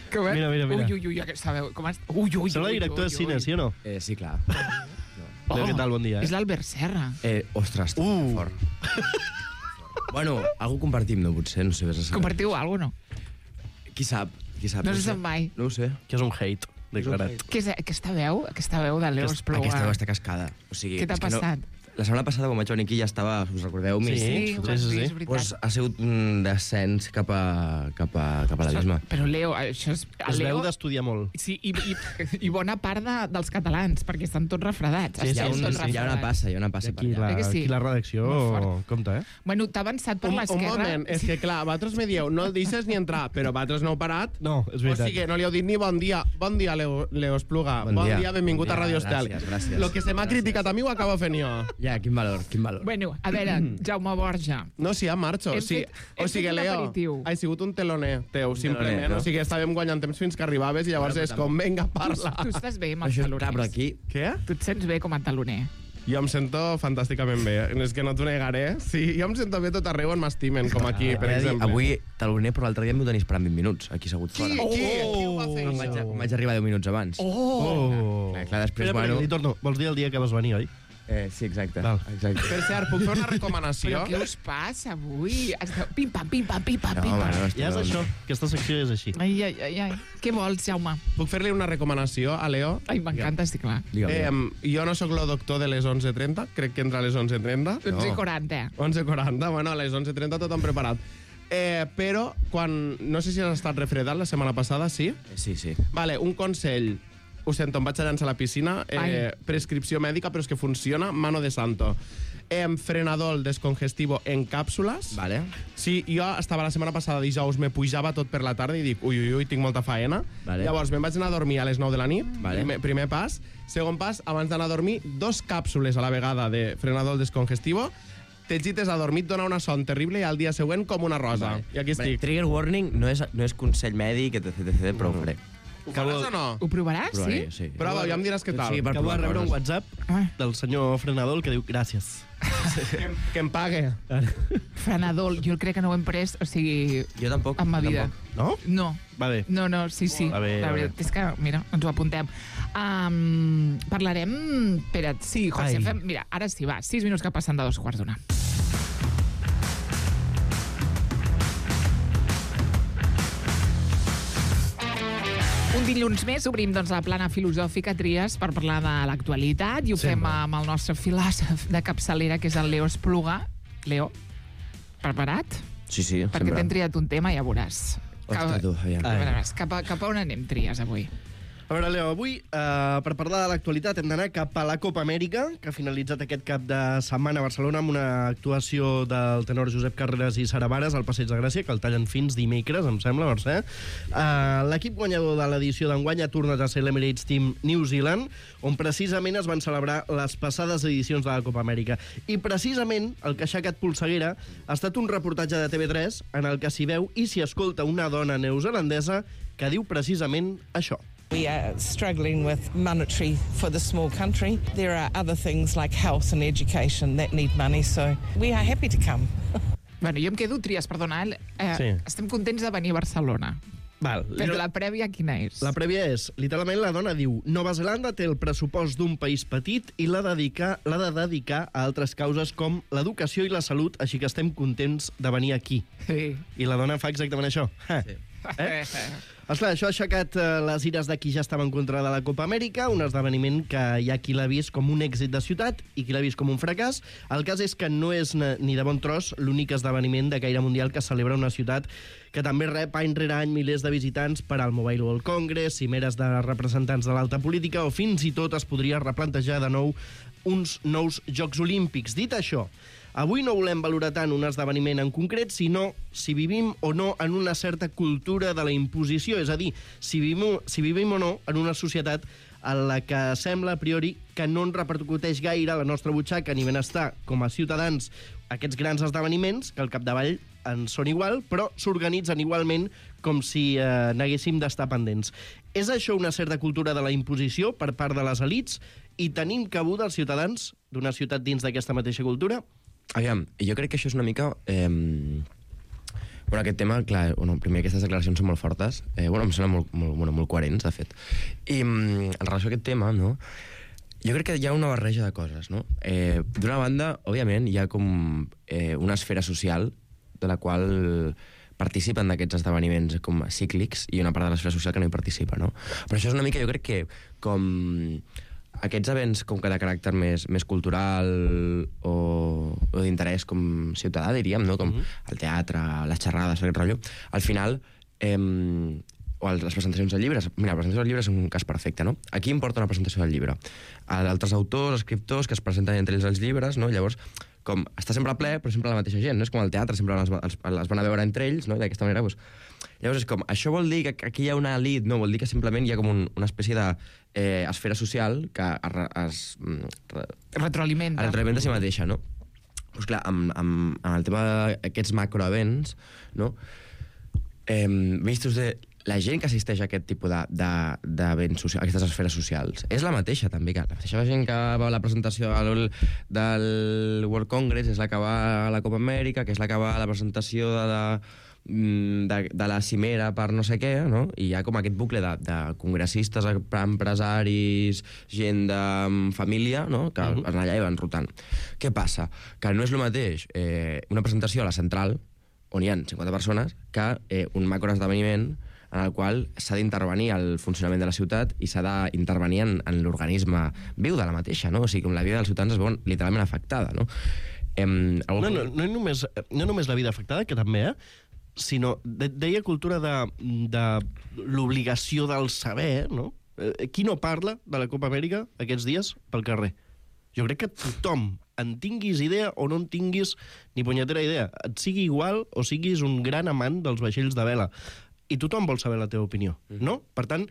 H: Que bé.
J: Mira.
H: Ui, aquesta veu. Com has... Ui.
J: Serà el director de cine, sí o no?
P: Sí, clar.
J: Leo, què tal? Bon dia.
H: És l'Albert Serra.
P: Ostres, fort. Bueno, algú compartim, no? Potser, no sé, vés a saber.
H: Compartiu alguna cosa, no?
P: Qui sap?
H: No se sap mai.
P: No ho sé.
J: Que és un hate declarat.
H: Què és aquesta veu de Leo Espluga?
P: Aquesta veu està cascada. O sigui,
H: Què t'ha
P: és que
H: passat?
P: La setmana passada, quan vaig venir aquí, ja estava, us recordeu?
H: Sí, és veritat.
P: Pues ha sigut un descens cap a l'abisme.
H: Però, Leo, això és...
J: Es veu d'estudiar molt.
H: Sí, i bona part dels catalans, perquè estan tots refredats.
P: Hi ha una passa
J: aquí
P: per allà.
J: Aquí la redacció compta,
H: Bueno, t'ha avançat per l'esquerra.
O: Un moment, és que clar, vosaltres me dieu, no el deixes ni entrar, però vosaltres no heu parat.
J: No, és veritat.
O: O sigui, no li heu dit ni bon dia, Leo Espluga, bon dia, benvingut a Radio Estel.
P: Gràcies.
O: Lo que se m'ha criticat a mi ho acabo fent jo.
P: Ja, quin valor.
H: Bueno, a veure, Jaume Borja.
O: No, sí, ja marxo. O sigui, Leo, ha sigut un teloner teu, simplement. O sigui, estàvem guanyant temps fins que arribaves i llavors és com, vinga, parla.
H: Tu estàs bé amb els taloners.
P: Però aquí...
O: Què?
H: Tu et sents bé com a taloner?
O: Jo em sento fantàsticament bé. És que no t'ho negaré. Sí, jo em sento bé tot arreu on m'estimen, com aquí, per exemple.
P: Avui taloner, però l'altre dia em vau tenir esperant 20 minuts, aquí assegut fora.
O: Qui ho va fer això?
P: Vaig arribar 10 minuts abans. Clar, després,
J: bueno... Li torno. Vols dir el dia que vas venir, oi?
P: Sí, exacte.
O: Per cert, puc fer una recomanació?
H: Però què us passa avui? Pim-pam, pim-pam, pim-pam, pim-pam.
J: Ja és això. Aquesta secció és així.
H: Ai. Què vols, Jaume?
O: Puc fer-li una recomanació a Leo?
H: Ai, m'encanta, estic clar.
O: Jo no sóc el doctor de les 11:30, crec que entra a les 11:30.
H: 11:40.
O: 11:40, bueno, a les 11:30 tot han preparat. Però, no sé si has estat refredat la setmana passada, sí?
P: Sí.
O: Vale, un consell. Ho sento, em vaig a llançar a la piscina. Prescripció mèdica, però és que funciona, mano de santo. Frenadol descongestivo en càpsules.
P: Vale.
O: Sí, jo estava la setmana passada, dijous, me pujava tot per la tarda i dic, ui, tinc molta faena.
P: Vale.
O: Llavors, me'n vaig anar a dormir a les 9 de la nit.
P: Vale.
O: Primer pas. Segon pas, abans d'anar a dormir, 2 càpsules a la vegada de frenadol descongestivo. T'egites a dormir, et dona una son terrible i al dia següent com una rosa.
P: Vale.
O: I aquí estic.
P: Trigger warning no és consell mèdic, etc, però ho faré.
O: Ho faràs o no?
H: Ho provaràs, sí?
P: Sí.
O: Prova, ja em diràs què tal.
P: Sí,
J: Acabo de rebre un WhatsApp del senyor Frenadol que diu gràcies.
O: Que em pague.
H: Frenadol, jo crec que no ho hem pres, o sigui...
P: Jo tampoc.
H: En ma vida.
J: No?
H: No.
J: Va bé.
H: No, sí.
J: Va bé,
H: la veritat és que, mira, ens ho apuntem. Parlarem... Espera't, sí, José, mira, ara sí, va, 6 minuts que passen de 2:15. Un dilluns més obrim la plana filosòfica Tries per parlar de l'actualitat i ho fem amb el nostre filòsof de capçalera, que és el Leo Espluga. Leo, preparat?
P: Sí,
H: perquè t'hem triat un tema, ja veuràs.
P: Ostres, tu, aviam.
H: Cap a on anem, Tries, avui?
J: A veure, Leo, avui, per parlar de l'actualitat, hem d'anar cap a la Copa Amèrica, que ha finalitzat aquest cap de setmana a Barcelona amb una actuació del tenor Josep Carreras i Sara Vares al Passeig de Gràcia, que el tallen fins dimecres, em sembla, Mercè. L'equip guanyador de l'edició d'enguany ha tornat a ser l'Emirates Team New Zealand, on precisament es van celebrar les passades edicions de la Copa Amèrica. I precisament el que ha aixecat polseguera ha estat un reportatge de TV3 en el que s'hi veu i s'hi escolta una dona neozelandesa que diu precisament això.
Q: We are struggling with monetary for the small country. There are other things like health and education that need money, so we are happy to come.
H: Bueno, jo em quedo, Tries, perdona, estem contents de venir a Barcelona.
J: Val.
H: Però la prèvia quina és?
J: La prèvia és, literalment, la dona diu Nova Zelanda té el pressupost d'un país petit i l'ha de dedicar a altres causes com l'educació i la salut, així que estem contents de venir aquí.
H: Sí.
J: I la dona fa exactament això. Sí. Esclar, això ha aixecat les ires de qui ja estava en contra de la Copa Amèrica, un esdeveniment que hi ha qui l'ha vist com un èxit de ciutat i qui l'ha vist com un fracàs. El cas és que no és ni de bon tros l'únic esdeveniment de caire mundial que celebra una ciutat que també rep any rere any milers de visitants per al Mobile World Congress, cimeres de representants de l'alta política o fins i tot es podria replantejar de nou uns nous Jocs Olímpics. Dit això, avui no volem valorar tant un esdeveniment en concret, sinó si vivim o no en una certa cultura de la imposició, és a dir, si vivim o no en una societat en la que sembla a priori que no ens repercuteix gaire a la nostra butxaca ni benestar com a ciutadans aquests grans esdeveniments, que al capdavall en són igual, però s'organitzen igualment com si n'haguéssim d'estar pendents. És això una certa cultura de la imposició per part de les elits i tenim cabuda els ciutadans d'una ciutat dins d'aquesta mateixa cultura?
P: Aviam, jo crec que això és una mica... Bueno, aquest tema, clar, primer aquestes declaracions són molt fortes, em semblen molt coherents, de fet. I en relació a aquest tema, no, jo crec que hi ha una barreja de coses, no? D'una banda, òbviament, hi ha com una esfera social de la qual participen d'aquests esdeveniments com cíclics i una part de l'esfera social que no hi participa, no? Però això és una mica, jo crec que com aquests events com que de caràcter més cultural o d'interès com ciutadà, diríem, no? Com el teatre, les xerrades, aquest rotllo, al final, o les presentacions de llibres, mira, la presentació del llibre és un cas perfecte, no? Aquí importa una presentació del llibre. Altres autors, escriptors que es presenten entre ells els llibres, no? Llavors, com està sempre ple, però sempre la mateixa gent, no? És com el teatre, sempre els van a veure entre ells, no? I d'aquesta manera, doncs... Llavors, és com, això vol dir que aquí hi ha una elit, no? Vol dir que simplement hi ha com una espècie d'esfera social que es
H: retroalimenta
P: a si mateixa, no? Doncs clar, amb el tema d'aquests macroevents, no? Vistos de la gent que assisteix a aquest tipus d'events socials, aquestes esferes socials, és la mateixa, també, que la mateixa gent que va a la presentació del World Congress és la que va a la Copa Amèrica, que és la que va a la presentació de la cimera per no sé què, no? I hi ha com aquest bucle de congressistes, empresaris, gent de família, no? Que van allà i van rotant. Què passa? Que no és el mateix una presentació a la central, on hi ha 50 persones, que un macroesdeveniment en el qual s'ha d'intervenir el funcionament de la ciutat i s'ha d'intervenir en l'organisme viu de la mateixa, no? O sigui, com la vida dels ciutadans es veu literalment afectada, no?
J: No només la vida afectada, que també, sinó, deia cultura de l'obligació del saber, no? Qui no parla de la Copa Amèrica aquests dies pel carrer? Jo crec que tothom, en tinguis idea o no en tinguis ni punyetera idea, et sigui igual o siguis un gran amant dels vaixells de vela, i tothom vol saber la teva opinió, no? Per tant,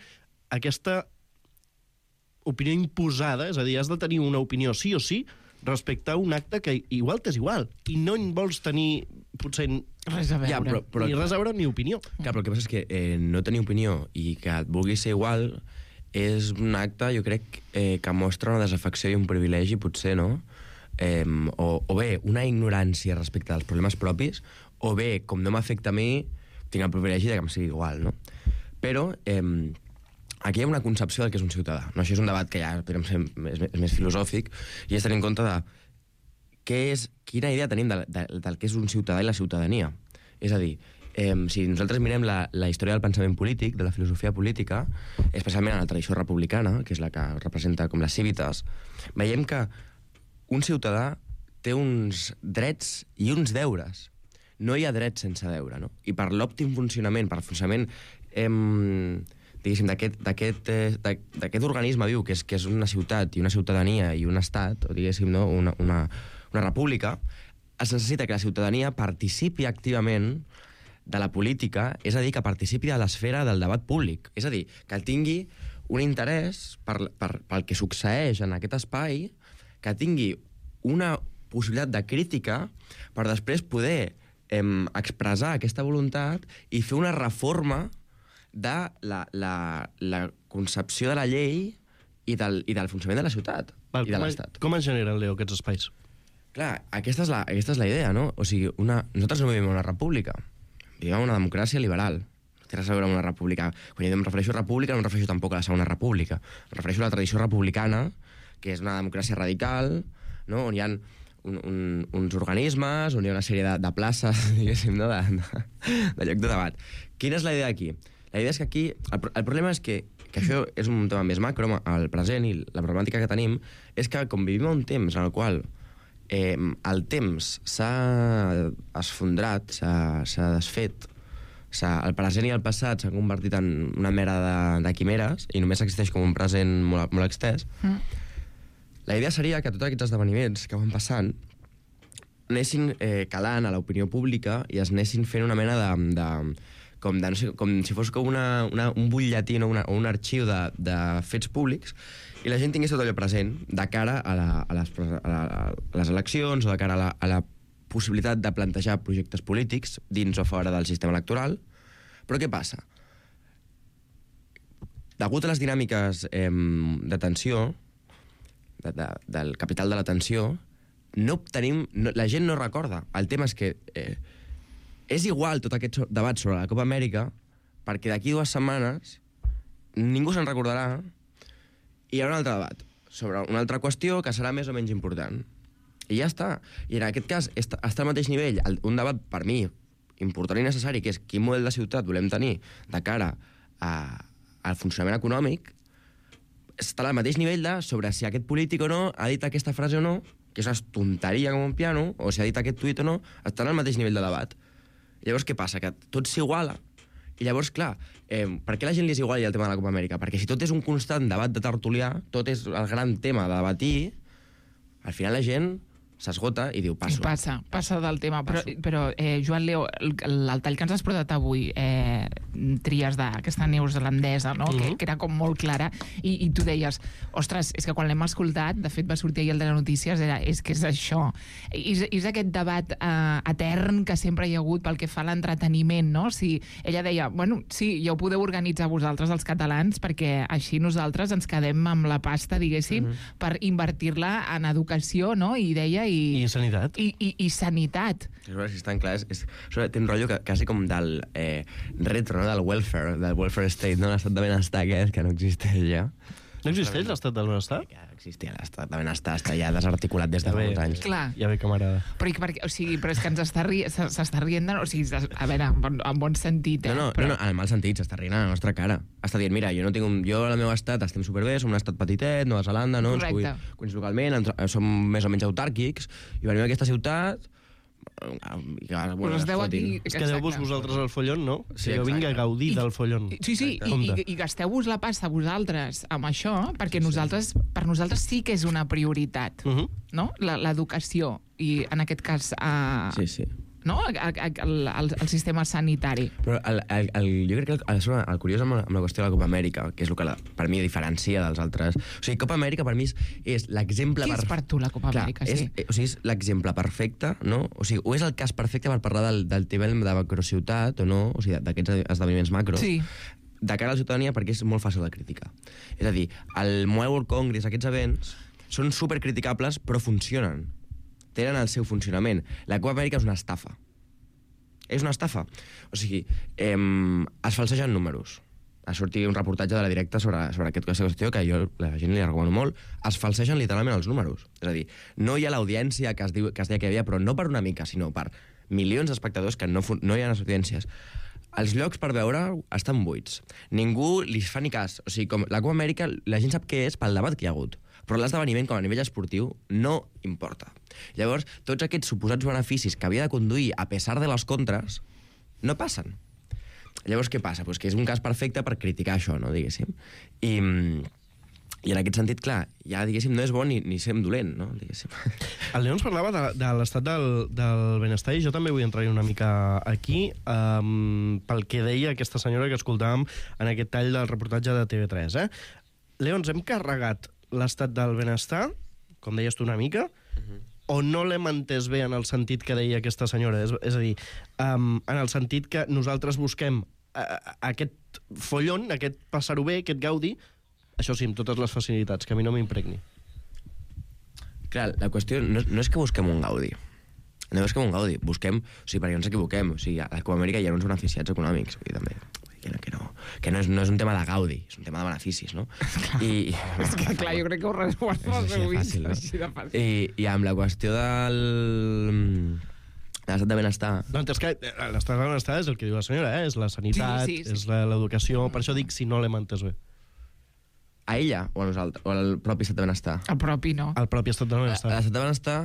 J: aquesta opinió imposada, és a dir, has de tenir una opinió sí o sí respecte a un acte que igual t'és igual, i no en vols tenir, potser...
H: Res a veure.
J: Ja, ni res a veure ni opinió.
P: Clar, però el que passa és que no tenir opinió i que et vulgui ser igual és un acte, jo crec, que mostra una desafecció i un privilegi, potser, no? O bé, una ignorància respecte als problemes propis, o bé, com no m'afecta a mi, tinc el privilegi de que em sigui igual, no? Però aquí hi ha una concepció del que és un ciutadà, no? Això és un debat que ja és més filosòfic i és tenir en compte de quina idea tenim del que és un ciutadà i la ciutadania. És a dir, si nosaltres mirem la història del pensament polític, de la filosofia política, especialment en la tradició republicana, que és la que representa com les civitas, veiem que un ciutadà té uns drets i uns deures. No hi ha dret sense deure, no? I per l'òptim funcionament, per el funcionament diguéssim, d'aquest organisme viu, que és una ciutat i una ciutadania i un estat, o diguéssim, no? una república, es necessita que la ciutadania participi activament de la política, és a dir, que participi de l'esfera del debat públic. És a dir, que tingui un interès pel que succeeix en aquest espai, que tingui una possibilitat de crítica per després poder expressar aquesta voluntat i fer una reforma de la concepció de la llei i del funcionament de la ciutat i de l'Estat.
J: Com es generen, Leo, aquests espais?
P: Clar, aquesta és la idea, no? O sigui, nosaltres no vivim en una república, vivim en una democràcia liberal. No té res a veure amb una república. Quan jo em refereixo a república, no em refereixo tampoc a la segona república. Em refereixo a la tradició republicana, que és una democràcia radical, no? On hi ha uns organismes, on hi ha una sèrie de places, diguéssim, no? de lloc de debat. Quina és la idea aquí? La idea és que aquí... El problema és que això és un tema més macro, el present, i la problemàtica que tenim és que, com vivim un temps en el qual el temps s'ha esfondrat, s'ha desfet, el present i el passat s'han convertit en una mera de quimeres i només existeix com un present molt, molt extès. La idea seria que tots aquests esdeveniments que van passant anessin calant a l'opinió pública i es anessin fent una mena com si fos com un butlletí o un arxiu de fets públics i la gent tingués tot allò present de cara a les eleccions o de cara a la possibilitat de plantejar projectes polítics dins o fora del sistema electoral. Però què passa? Degut a les dinàmiques d'atenció, del capital de l'atenció, la gent no recorda. El tema és que és igual tot aquest debat sobre la Copa Amèrica perquè d'aquí 2 setmanes ningú se'n recordarà i hi haurà un altre debat sobre una altra qüestió que serà més o menys important. I ja està. I en aquest cas està al mateix nivell un debat, per mi, important i necessari, que és quin model de ciutat volem tenir de cara al funcionament econòmic, està al mateix nivell de sobre si aquest polític o no ha dit aquesta frase o no, que és una tonteria com un piano, o si ha dit aquest tuit o no, estan al mateix nivell de debat. Llavors, què passa? Que tot s'iguala. I llavors, clar, per què la gent li és igual el tema de la Copa Amèrica? Perquè si tot és un constant debat de tertulià, tot és el gran tema de debatir, al final la gent s'esgota i diu passo.
H: Passa del tema. Però Joan Leo, el tall que ens has portat avui, tries d'aquesta neozelandesa, no? Que era com molt clara, i tu deies, ostres, és que quan l'hem escoltat, de fet va sortir ahir el de les notícies, és que és això. És aquest debat etern que sempre hi ha hagut pel que fa a l'entreteniment, no? Si ella deia, bueno, sí, ja ho podeu organitzar vosaltres, els catalans, perquè així nosaltres ens quedem amb la pasta, diguéssim, per invertir-la en educació, no? I deia
J: I sanitat.
P: I sanitat. Si és tan clar, té un rotllo quasi com del retro, no? Del welfare state, no? L'estat de benestar aquest, que no existeix ja.
J: No existeix l'estat del benestar?
P: Ja existia l'estat de benestar, està ja desarticulat des de fa uns anys.
H: Clar.
J: Ja ve que m'agrada.
H: Però és que ens s'està rient, o sigui, a veure, en bon sentit,
P: No, en el mal sentit, s'està rient a la nostra cara. Està dient, mira, jo al meu estat estem superbé, som un estat petitet, Nova Zelanda, no? Correcte. Ens cuins localment, som més o menys autàrquics, i venim a aquesta ciutat...
H: Us es deu aquí...
J: És que deu-vos vosaltres el follon, no?
P: Sí,
J: jo vinc a gaudir del follon.
H: Sí, i gasteu-vos la pasta vosaltres amb això, perquè per nosaltres sí que és una prioritat, no? L'educació, i en aquest cas... no? El sistema sanitari.
P: Però jo crec que el curiós amb la qüestió de la Copa Amèrica, que és el que per mi diferencia dels altres... O sigui, Copa Amèrica per mi és l'exemple...
H: Què és per tu la Copa Amèrica?
P: Sí. O sigui, és l'exemple perfecte, no? O sigui, o és el cas perfecte per parlar del tema de macrociutat, o no? O sigui, d'aquests esdeveniments macros.
H: Sí.
P: De cara a la ciutadania, perquè és molt fàcil de criticar. És a dir, el Mobile World Congress, aquests events, són supercriticables, però funcionen. Tenen el seu funcionament. La Copa Amèrica és una estafa. És una estafa. O sigui, es falsegen números. Ha sortit un reportatge de La Directa sobre aquesta qüestió que jo la gent li recomano molt. Es falsegen literalment els números. És a dir, no hi ha l'audiència que es deia que hi havia, però no per una mica, sinó per milions d'espectadors que no hi ha les audiències. Els llocs per veure estan buits. Ningú li fa ni cas. O sigui, com la Copa Amèrica, la gent sap què és pel debat que hi ha hagut. Però l'esdeveniment, com a nivell esportiu, no importa. Llavors, tots aquests suposats beneficis que havia de conduir a pesar de les contres, no passen. Llavors, què passa? Pues que és un cas perfecte per criticar això, no, diguéssim. I en aquest sentit, clar, ja, diguéssim, no és bo ni ser dolent, no, diguéssim.
J: El Leo ens parlava de l'estat del benestar, i jo també vull entrar una mica aquí, pel que deia aquesta senyora que escoltàvem en aquest tall del reportatge de TV3. Leo, ens hem carregat l'estat del benestar, com deies tu una mica, o no l'hem entès bé en el sentit que deia aquesta senyora? És a dir, en el sentit que nosaltres busquem aquest follon, aquest passar-ho bé, aquest gaudi, això sí, amb totes les facilitats, que a mi no m'impregni.
P: Clar, la qüestió no és que busquem un gaudi. No és que un gaudi. Busquem... O sigui, perquè no ens equivoquem. O sigui, a la Copa Amèrica hi ha uns beneficiats econòmics. Vull dir, també... Que no és un tema de gaudi, és un tema de beneficis, no?
H: És que, clar, jo crec que ho resuelves
P: així de fàcil. I amb la qüestió de l'estat de benestar...
J: No, és que l'estat de benestar és el que diu la senyora, és la sanitat, és l'educació... Per això dic si no l'hem entès bé.
P: A ella o a nosaltres? O al propi estat de benestar?
H: El propi, no.
J: El propi estat de benestar.
P: L'estat de benestar...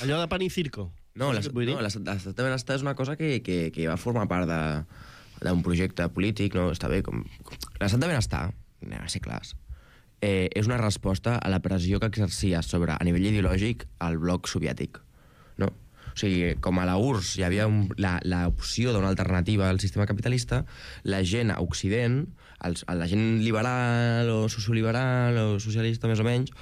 J: Allò de pan i circo.
P: No, l'estat de benestar és una cosa que va formar part d'un projecte polític, no? Està bé, com... L'estat de benestar, anem a ser clars, és una resposta a la pressió que exercia sobre, a nivell ideològic, el bloc soviètic, no? O sigui, com a la URSS hi havia l'opció d'una alternativa al sistema capitalista, la gent a Occident, la gent liberal o socioliberal o socialista més o menys,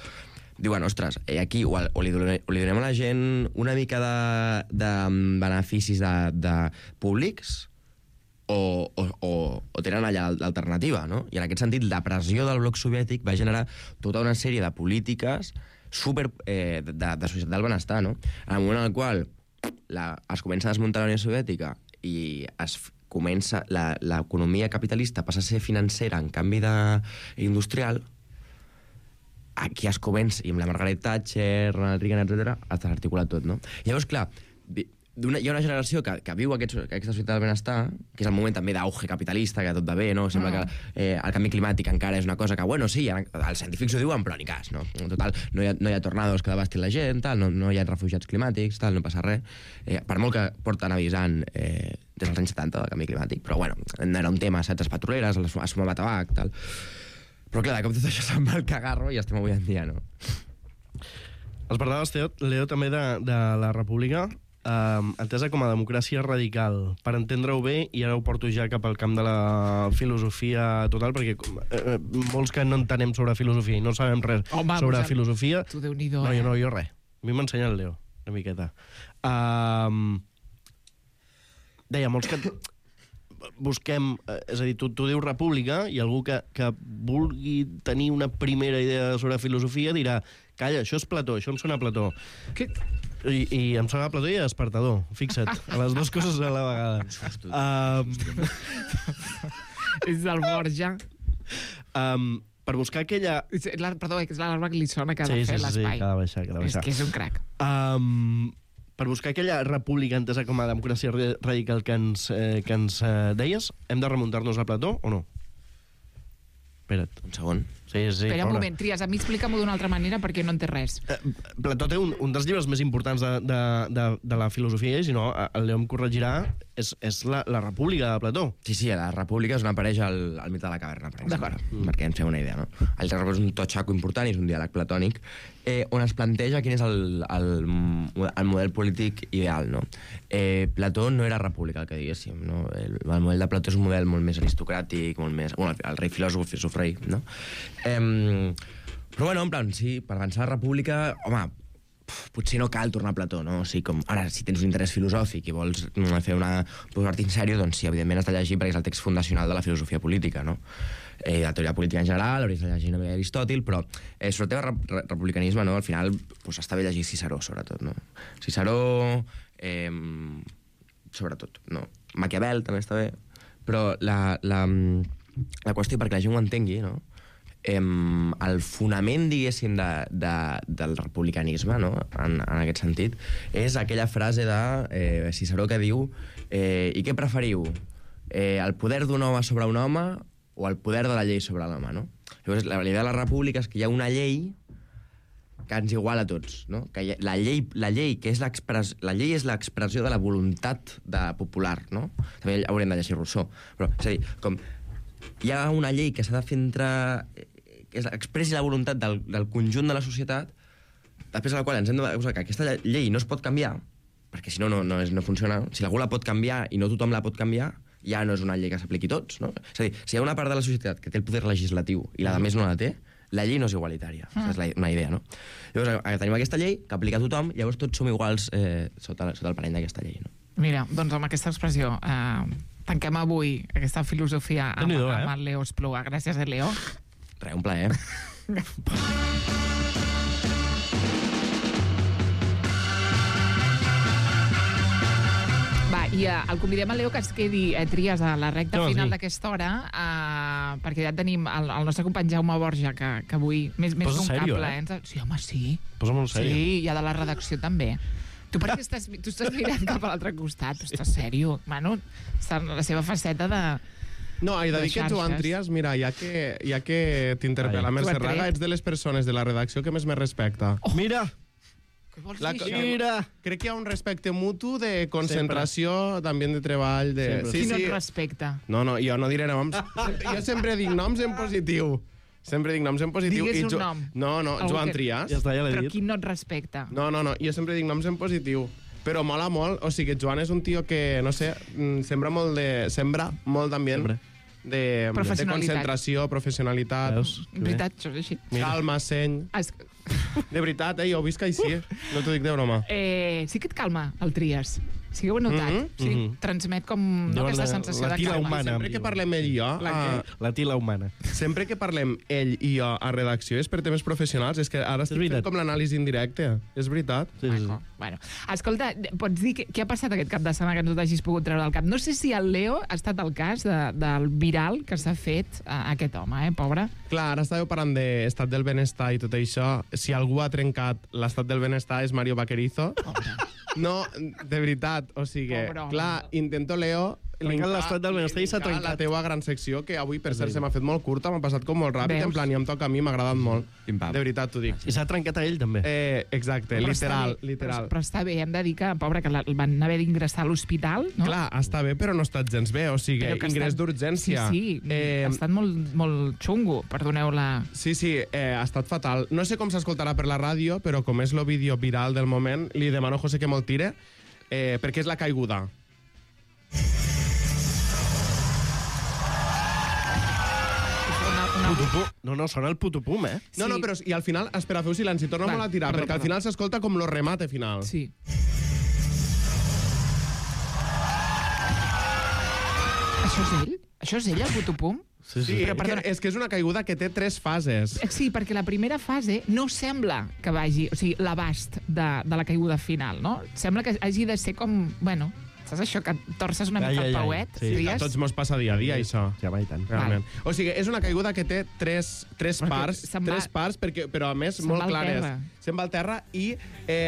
P: diuen, ostres, aquí o li donem a la gent una mica de beneficis públics o tenen allà l'alternativa, no? I en aquest sentit, la pressió del bloc soviètic va generar tota una sèrie de polítiques de societat del benestar, no? En el moment en el qual es comença a desmuntar la Unió Soviètica i comença l'economia capitalista passa a ser financera en canvi industrial, aquí es comença, i amb la Margaret Thatcher, Ronald Reagan, etc., es desarticula tot, no? Llavors, clar, hi ha una generació que viu aquesta societat del benestar, que és el moment també d'auge capitalista, que tot va bé, no? Sembla que el canvi climàtic encara és una cosa que, bueno, sí, els científics ho diuen, però ni cas, no? En total, no hi ha tornados que devastin la gent, tal, no hi ha refugiats climàtics, tal, no passa res. Per molt que porten avisant des dels anys 70 del canvi climàtic, però, bueno, era un tema, saps, les petroleres, es fumava tabac, tal. Però, clar, de cop tot això se'n va al cagarro i estem avui en dia, no?
J: Els parlaves, Leo, també de la República, entesa com a democràcia radical. Per entendre-ho bé, i ara ho porto ja cap al camp de la filosofia total, perquè molts que no entenem sobre filosofia i no sabem res sobre filosofia...
H: Tu, Déu-n'hi-do,
J: No, jo res. A mi m'ensenya el Leo, una miqueta. Deia, molts que busquem... És a dir, tu dius república i algú que vulgui tenir una primera idea sobre filosofia dirà calla, això és Plató, això em sona a Plató. I em sona a Plató i a Despertador, fixa't, a les dues coses a la vegada.
H: És del Borja.
J: Per buscar aquella...
H: Perdó, és l'arma que li sona que ha de fer l'espai.
J: Sí, que ha de baixar.
H: És que és un crac.
J: Per buscar aquella república entesa com a democràcia radical que ens deies, hem de remuntar-nos a Plató o no? Espera't.
P: Un segon.
J: Sí,
H: espera un moment, Trias, a mi explica-m'ho d'una altra manera perquè no en té res.
J: Plató té un dels llibres més importants de la filosofia, i si no, el Leo em corregirà, és la República de Plató.
P: Sí, la República és on apareix el mite de la caverna, per exemple, perquè ens fem una idea, no? El República és un totxaco important i és un diàleg platònic on es planteja quin és el model polític ideal, no? Plató no era república, el que diguéssim, no? El model de Plató és un model molt més aristocràtic, molt més... Bueno, el rei filòsof és un rei, no? Però bueno, en plan, sí, per avançar la república, home, potser no cal tornar a Plató, no? O sigui, com, ara, si tens un interès filosòfic i vols fer posar-t'hi en sèrio, doncs sí, evidentment has de llegir perquè és el text fundacional de la filosofia política, no? La teoria política en general, hauries de llegir també Aristòtil, però sobre el tema republicanisme, no? Al final, doncs, està bé llegir Ciceró, sobretot, no? Ciceró, sobretot, no? Maquiavel també està bé, però la qüestió, perquè la gent ho entengui, no? El fonament, diguéssim, del republicanisme, no? En aquest sentit, és aquella frase de Ciceró que diu i què preferiu? El poder d'un home sobre un home o el poder de la llei sobre l'home, no? Llavors, la idea de la república és que hi ha una llei que ens iguala a tots, no? Que la llei que és la llei és l'expressió de la voluntat popular, no? També haurem de llegir Rousseau, però, és a dir, com hi ha una llei que s'ha de fer que expressi la voluntat del conjunt de la societat, després de la qual ens hem de posar que aquesta llei no es pot canviar, perquè si no, no funciona. Si algú la pot canviar i no tothom la pot canviar, ja no és una llei que s'apliqui a tots, no? És a dir, si hi ha una part de la societat que té el poder legislatiu i la de més no la té, la llei no és igualitària. És una idea, no? Llavors, tenim aquesta llei que aplica a tothom, llavors tots som iguals sota el parany d'aquesta llei, no?
H: Mira, doncs amb aquesta expressió tanquem avui aquesta filosofia amb el Leo Espluga. Gràcies, Leo.
P: Res, un plaer.
H: Va, i el convidem a Leo que es quedi Trias a la recta final d'aquesta hora, perquè ja tenim el nostre company Jaume Borja, que avui més d'un cable. Sí, home, sí.
J: Posa molt sèrio.
H: Sí, i a de la redacció també. Tu per què estàs mirant cap a l'altre costat? Estàs sèrio? Bueno, està en la seva faceta de...
O: No, he de dir que Joan Trias, mira, ja que t'interpel·la Mercè Raga, ets de les persones de la redacció que més me respecta.
J: Mira!
H: Què vols dir això?
O: Mira! Crec que hi ha un respecte mutu de concentració, també de treball.
H: Qui no et respecta?
O: No, jo no diré noms. Jo sempre dic noms en positiu.
H: Digues un nom.
O: No, Joan Trias.
J: Ja està, ja l'he dit.
H: Però qui no et respecta?
O: No, jo sempre dic noms en positiu. Però mola molt, o sigui, Joan és un tio que, no sé, sembra molt d'ambient, de concentració, professionalitat.
H: Veritat, això és així.
O: Calma, seny. De veritat, jo ho visc així, no t'ho dic de broma.
H: Sí que et calma, el Trias. Sí que ho he notat. Sí, transmet com aquesta sensació de calma.
J: Humana,
O: sempre que parlem ell i jo...
J: La tila humana.
O: Sempre que parlem ell i jo a redacció és per temes professionals. És que ara estic fent com l'anàlisi indirecte. És veritat.
H: Bueno, escolta, pots dir què ha passat aquest cap de setmana que no t'hagis pogut treure del cap? No sé si el Leo ha estat el cas del viral que s'ha fet a aquest home, pobre.
O: Clar, ara estàveu parlant d'estat del benestar i tot això. Si algú ha trencat l'estat del benestar és Mario Vaquerizo. No, de veritat, o sigui, clar, intento, Leo,
J: Trencar l'estat del benestar i s'ha trencat.
O: la teua gran secció, que avui, per cert, se m'ha fet molt curta, m'ha passat com molt ràpid, en plan, i em toca a mi, m'ha agradat molt. De veritat, t'ho dic.
J: I s'ha trencat a ell, també.
O: Exacte, literal.
H: Però està bé, hem de dir que, pobre, que el van haver d'ingressar a l'hospital, no?
O: Clar, està bé, però no ha estat gens bé, o sigui, ingrés d'urgència.
H: Sí, ha estat molt xungo, perdoneu la...
O: Sí, ha estat fatal. No sé com s'escoltarà per la ràdio, però com és el vídeo viral del moment, li demano a José que me'l tire, perquè és la caiguda.
J: No, sona el putupum, eh?
O: No, però i al final, espera, feu silenci, torna-me'l a tirar, perquè al final s'escolta com lo remate final.
H: Sí. Això és ell? Això és ell, el putupum?
O: Sí, és que és una caiguda que té 3 fases.
H: Sí, perquè la primera fase no sembla que vagi, o sigui, l'abast de la caiguda final, no? Sembla que hagi de ser com, bueno, saps això, que torces una mica el pauet?
O: Sí, a tots mos passa dia a dia, això.
J: Ja va i tant.
O: Realment. O sigui, és una caiguda que té tres parts, però a més molt clares. Se'n va al terra i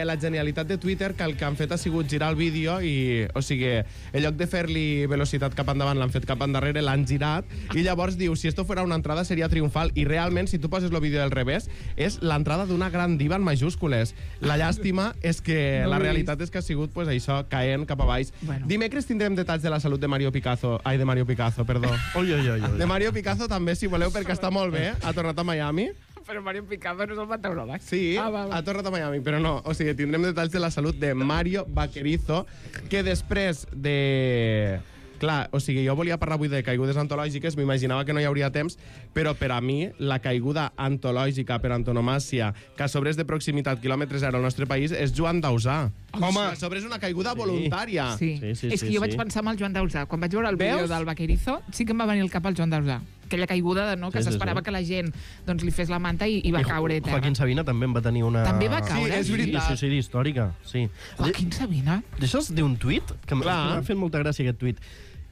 O: la genialitat de Twitter que el que han fet ha sigut girar el vídeo i, o sigui, en lloc de fer-li velocitat cap endavant, l'han fet cap endarrere, l'han girat i llavors diu, si esto fuera una entrada seria triomfal i realment, si tu poses el vídeo del revés, és l'entrada d'una gran diva en majúscules. La llàstima és que la realitat és que ha sigut, pues, això, caent cap a baix. Bueno. Dimecres tindrem detalls de la salut de Mario Picazo. Ai, de Mario Picazo, perdó. De Mario Picazo també, si voleu, perquè està molt bé. Ha tornat a Miami.
H: Però Mario Picazo no és el meteoròleg.
O: Sí, ha tornat a Miami, però no. O sigui, tindrem detalls de la salut de Mario Vaquerizo, que després de... Clar, o sigui, jo volia parlar avui de caigudes antològiques, m'imaginava que no hi hauria temps, però per a mi, la caiguda antològica per antonomàsia, que a sobre és de proximitat quilòmetre zero al nostre país, és Joan Dausà. Home, a sobre és una caiguda voluntària.
H: Sí. És que jo vaig pensar en el Joan Dausà. Quan vaig veure el vídeo del Vaquerizo, sí que em va venir el cap al Joan Dausà. Aquella caiguda, no?, que s'esperava que la gent li fes la manta i va caure a terra.
J: Joaquín Sabina també en va tenir una...
H: També va caure?
O: Sí, és veritat.
J: Sí, històrica, sí.
H: Joaquín Sabina?
J: D'això és d'un tuit, que m'ha fet molta gràcia aquest tuit.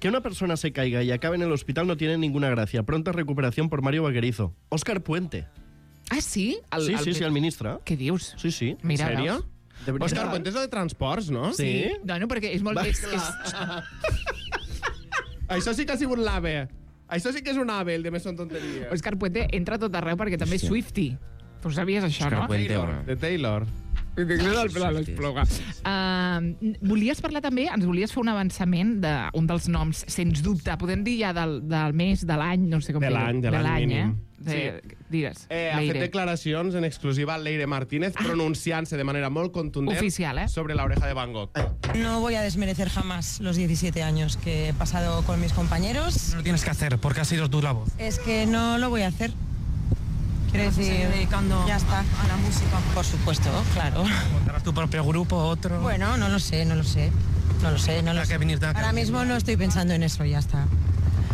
J: Que una persona se caiga y acabe en el hospital no tiene ninguna gracia. Pronta recuperación por Mario Vaquerizo. Óscar Puente.
H: Ah, sí?
J: Sí, el ministre.
H: Què dius?
J: Sí.
H: Mira,
O: en sèrio? Óscar Puente és de transports, no?
H: Sí. No, perquè és molt...
O: Això sí que ha sigut l'AVE. Això sí que és un AVE, el de Més són tonteries.
H: Óscar Puente entra a tot arreu perquè també és Swiftie. Tu sabies això, no?
O: De Taylor.
H: Volies parlar també, ens volies fer un avançament d'un dels noms, sens dubte, podem dir ja del mes, de l'any, no sé com dir-ho.
O: De l'any mínim.
H: Digues.
O: Ha fet declaracions en exclusiva Leire Martínez, pronunciant-se de manera molt contundent
H: oficial,
O: sobre la oreja de Van Gogh.
R: No voy a desmerecer jamás los 17 años que he pasado con mis compañeros.
S: No lo tienes que hacer, porque ha sido tu la voz.
R: Es que no lo voy a hacer. Quiero decir, dedicando ya está a la música. Por supuesto, claro.
S: ¿Montarás tu propio grupo, otro?
R: Bueno, no lo sé. Ahora mismo no estoy pensando en eso, ya está.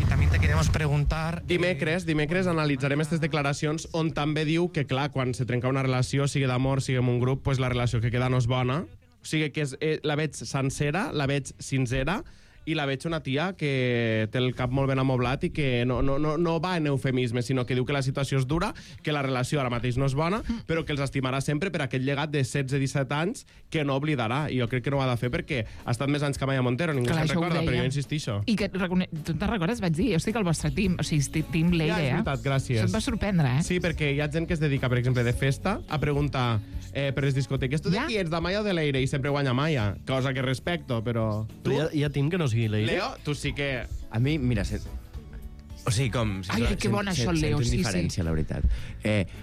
S: Y también te queremos preguntar...
O: Dimecres analitzarem aquestes declaracions on també diu que, clar, quan se trenca una relació, sigui d'amor, sigui en un grup, pues la relació que queda no és bona. O sigui que la veig sencera, la veig sincera, i la veig una tia que té el cap molt ben amoblat i que no va en eufemisme, sinó que diu que la situació és dura, que la relació ara mateix no és bona, però que els estimarà sempre per aquest llegat de 16-17 anys que no oblidarà. I jo crec que no ho ha de fer perquè ha estat més anys que Maya Montero, ningú se'n recorda, però jo insistixo.
H: I que, tu te'n recordes? Vaig dir, jo estic al vostre team, o sigui, team Leire,
O: Ja, és veritat, gràcies.
H: Això et va sorprendre, eh?
O: Sí, perquè hi ha gent que es dedica, per exemple, de festa, a preguntar per les discoteques, tu de qui ets, de Maya o de Leire? I sempre guanya Maya, cosa que respecto, però...
J: Però hi ha team que no sigui Leire?
O: Leo, tu sí que...
P: A mi, mira, o sigui, com...
H: Ai, que bona això, Leo, sí,
P: indiferència, la veritat.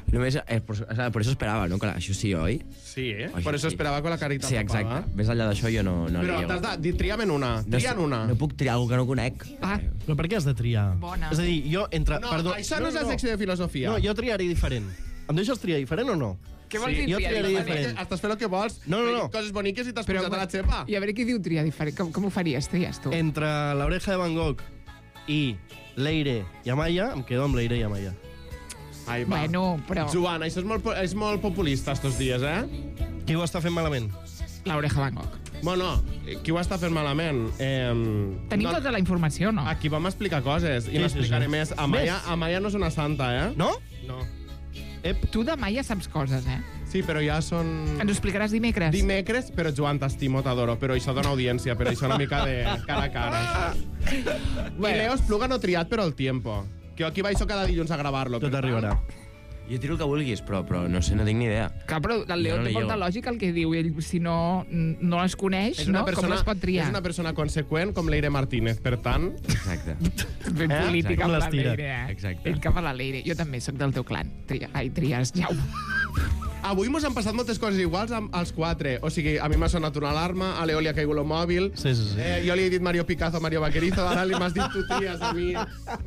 P: Només, por eso esperava, ¿no? Que això sí, oi?
O: Sí, por eso esperava con la carita
P: tapada. Sí, exacte. Més enllà d'això jo no
O: però t'has de dir, tria'm en una. Tria'n una.
P: No puc triar algú que no conec.
J: Però per què has de triar?
H: Bona.
J: És a dir, jo entre...
O: No, això no és la secció de filosofia.
J: No, jo triaré diferent. Em deixes triar diferent o no?
H: Què vols dir
J: jo
H: triar
J: diferent?
O: Estàs fent el que vols.
J: No.
O: Coses boniques i t'has posat a la xepa.
H: I a veure qui diu triar diferent. Com ho faries, tries tu?
J: Entre la oreja de Van Gogh i Leire i Amaya, em quedo amb Leire i Amaya.
O: Ai, va.
H: Bueno, però...
O: Joan, això és molt populista estos dies, eh?
J: Qui ho està fent malament?
H: L'oreja Van Gogh.
O: Bueno, qui ho està fent malament?
H: Tenim tota la informació, no?
O: Aquí vam explicar coses i n'explicaré més. Amaya no és una santa, eh?
J: No?
O: No.
H: Tu demà ja saps coses, eh?
O: Sí, però ja són...
H: Ens ho explicaràs dimecres?
O: Dimecres, però Joan, t'estimo, t'adoro, però això dona audiència, però això una mica de cara a cara. I Leo Espluga no triat, però el tiempo. Que jo aquí baixo cada dilluns a gravar-lo.
J: Tot arribarà.
P: Jo tiro el que vulguis, però no sé, no tinc ni idea.
H: Clar, però el Leo té molta lògica el que diu. Ell, si no les coneix, com les pot triar?
O: És una persona conseqüent com Leire Martínez, per tant...
P: Exacte.
H: Ben política amb la Leire,
P: Exacte.
H: Ell cap a la Leire. Jo també sóc del teu clan. Tries, Jaume.
O: Avui mos han passat moltes coses iguals als 4. O sigui, a mi m'ha sonat una alarma, a Leo li ha caigut el mòbil,
J: sí.
O: Jo li he dit Mario Picazo, Mario Vaquerizo, ara li m'has dit tu tries a mi.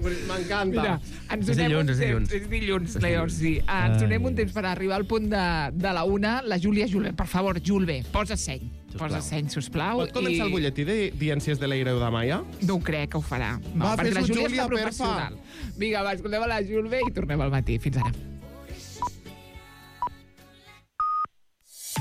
O: M'encanta.
H: Mira, ens donem un temps. És dilluns, Leo, sí. Ens donem un temps per arribar al punt de la 1. La Júlia Julve, per favor, Julve, posa seny. Posa seny, sisplau.
O: Pot començar el butlletí de si és de Leire o de Maia?
H: No ho crec que ho farà. No, perquè la Júlia està professional. Vinga, va, escoltem a la Julve i tornem al matí. Fins ara.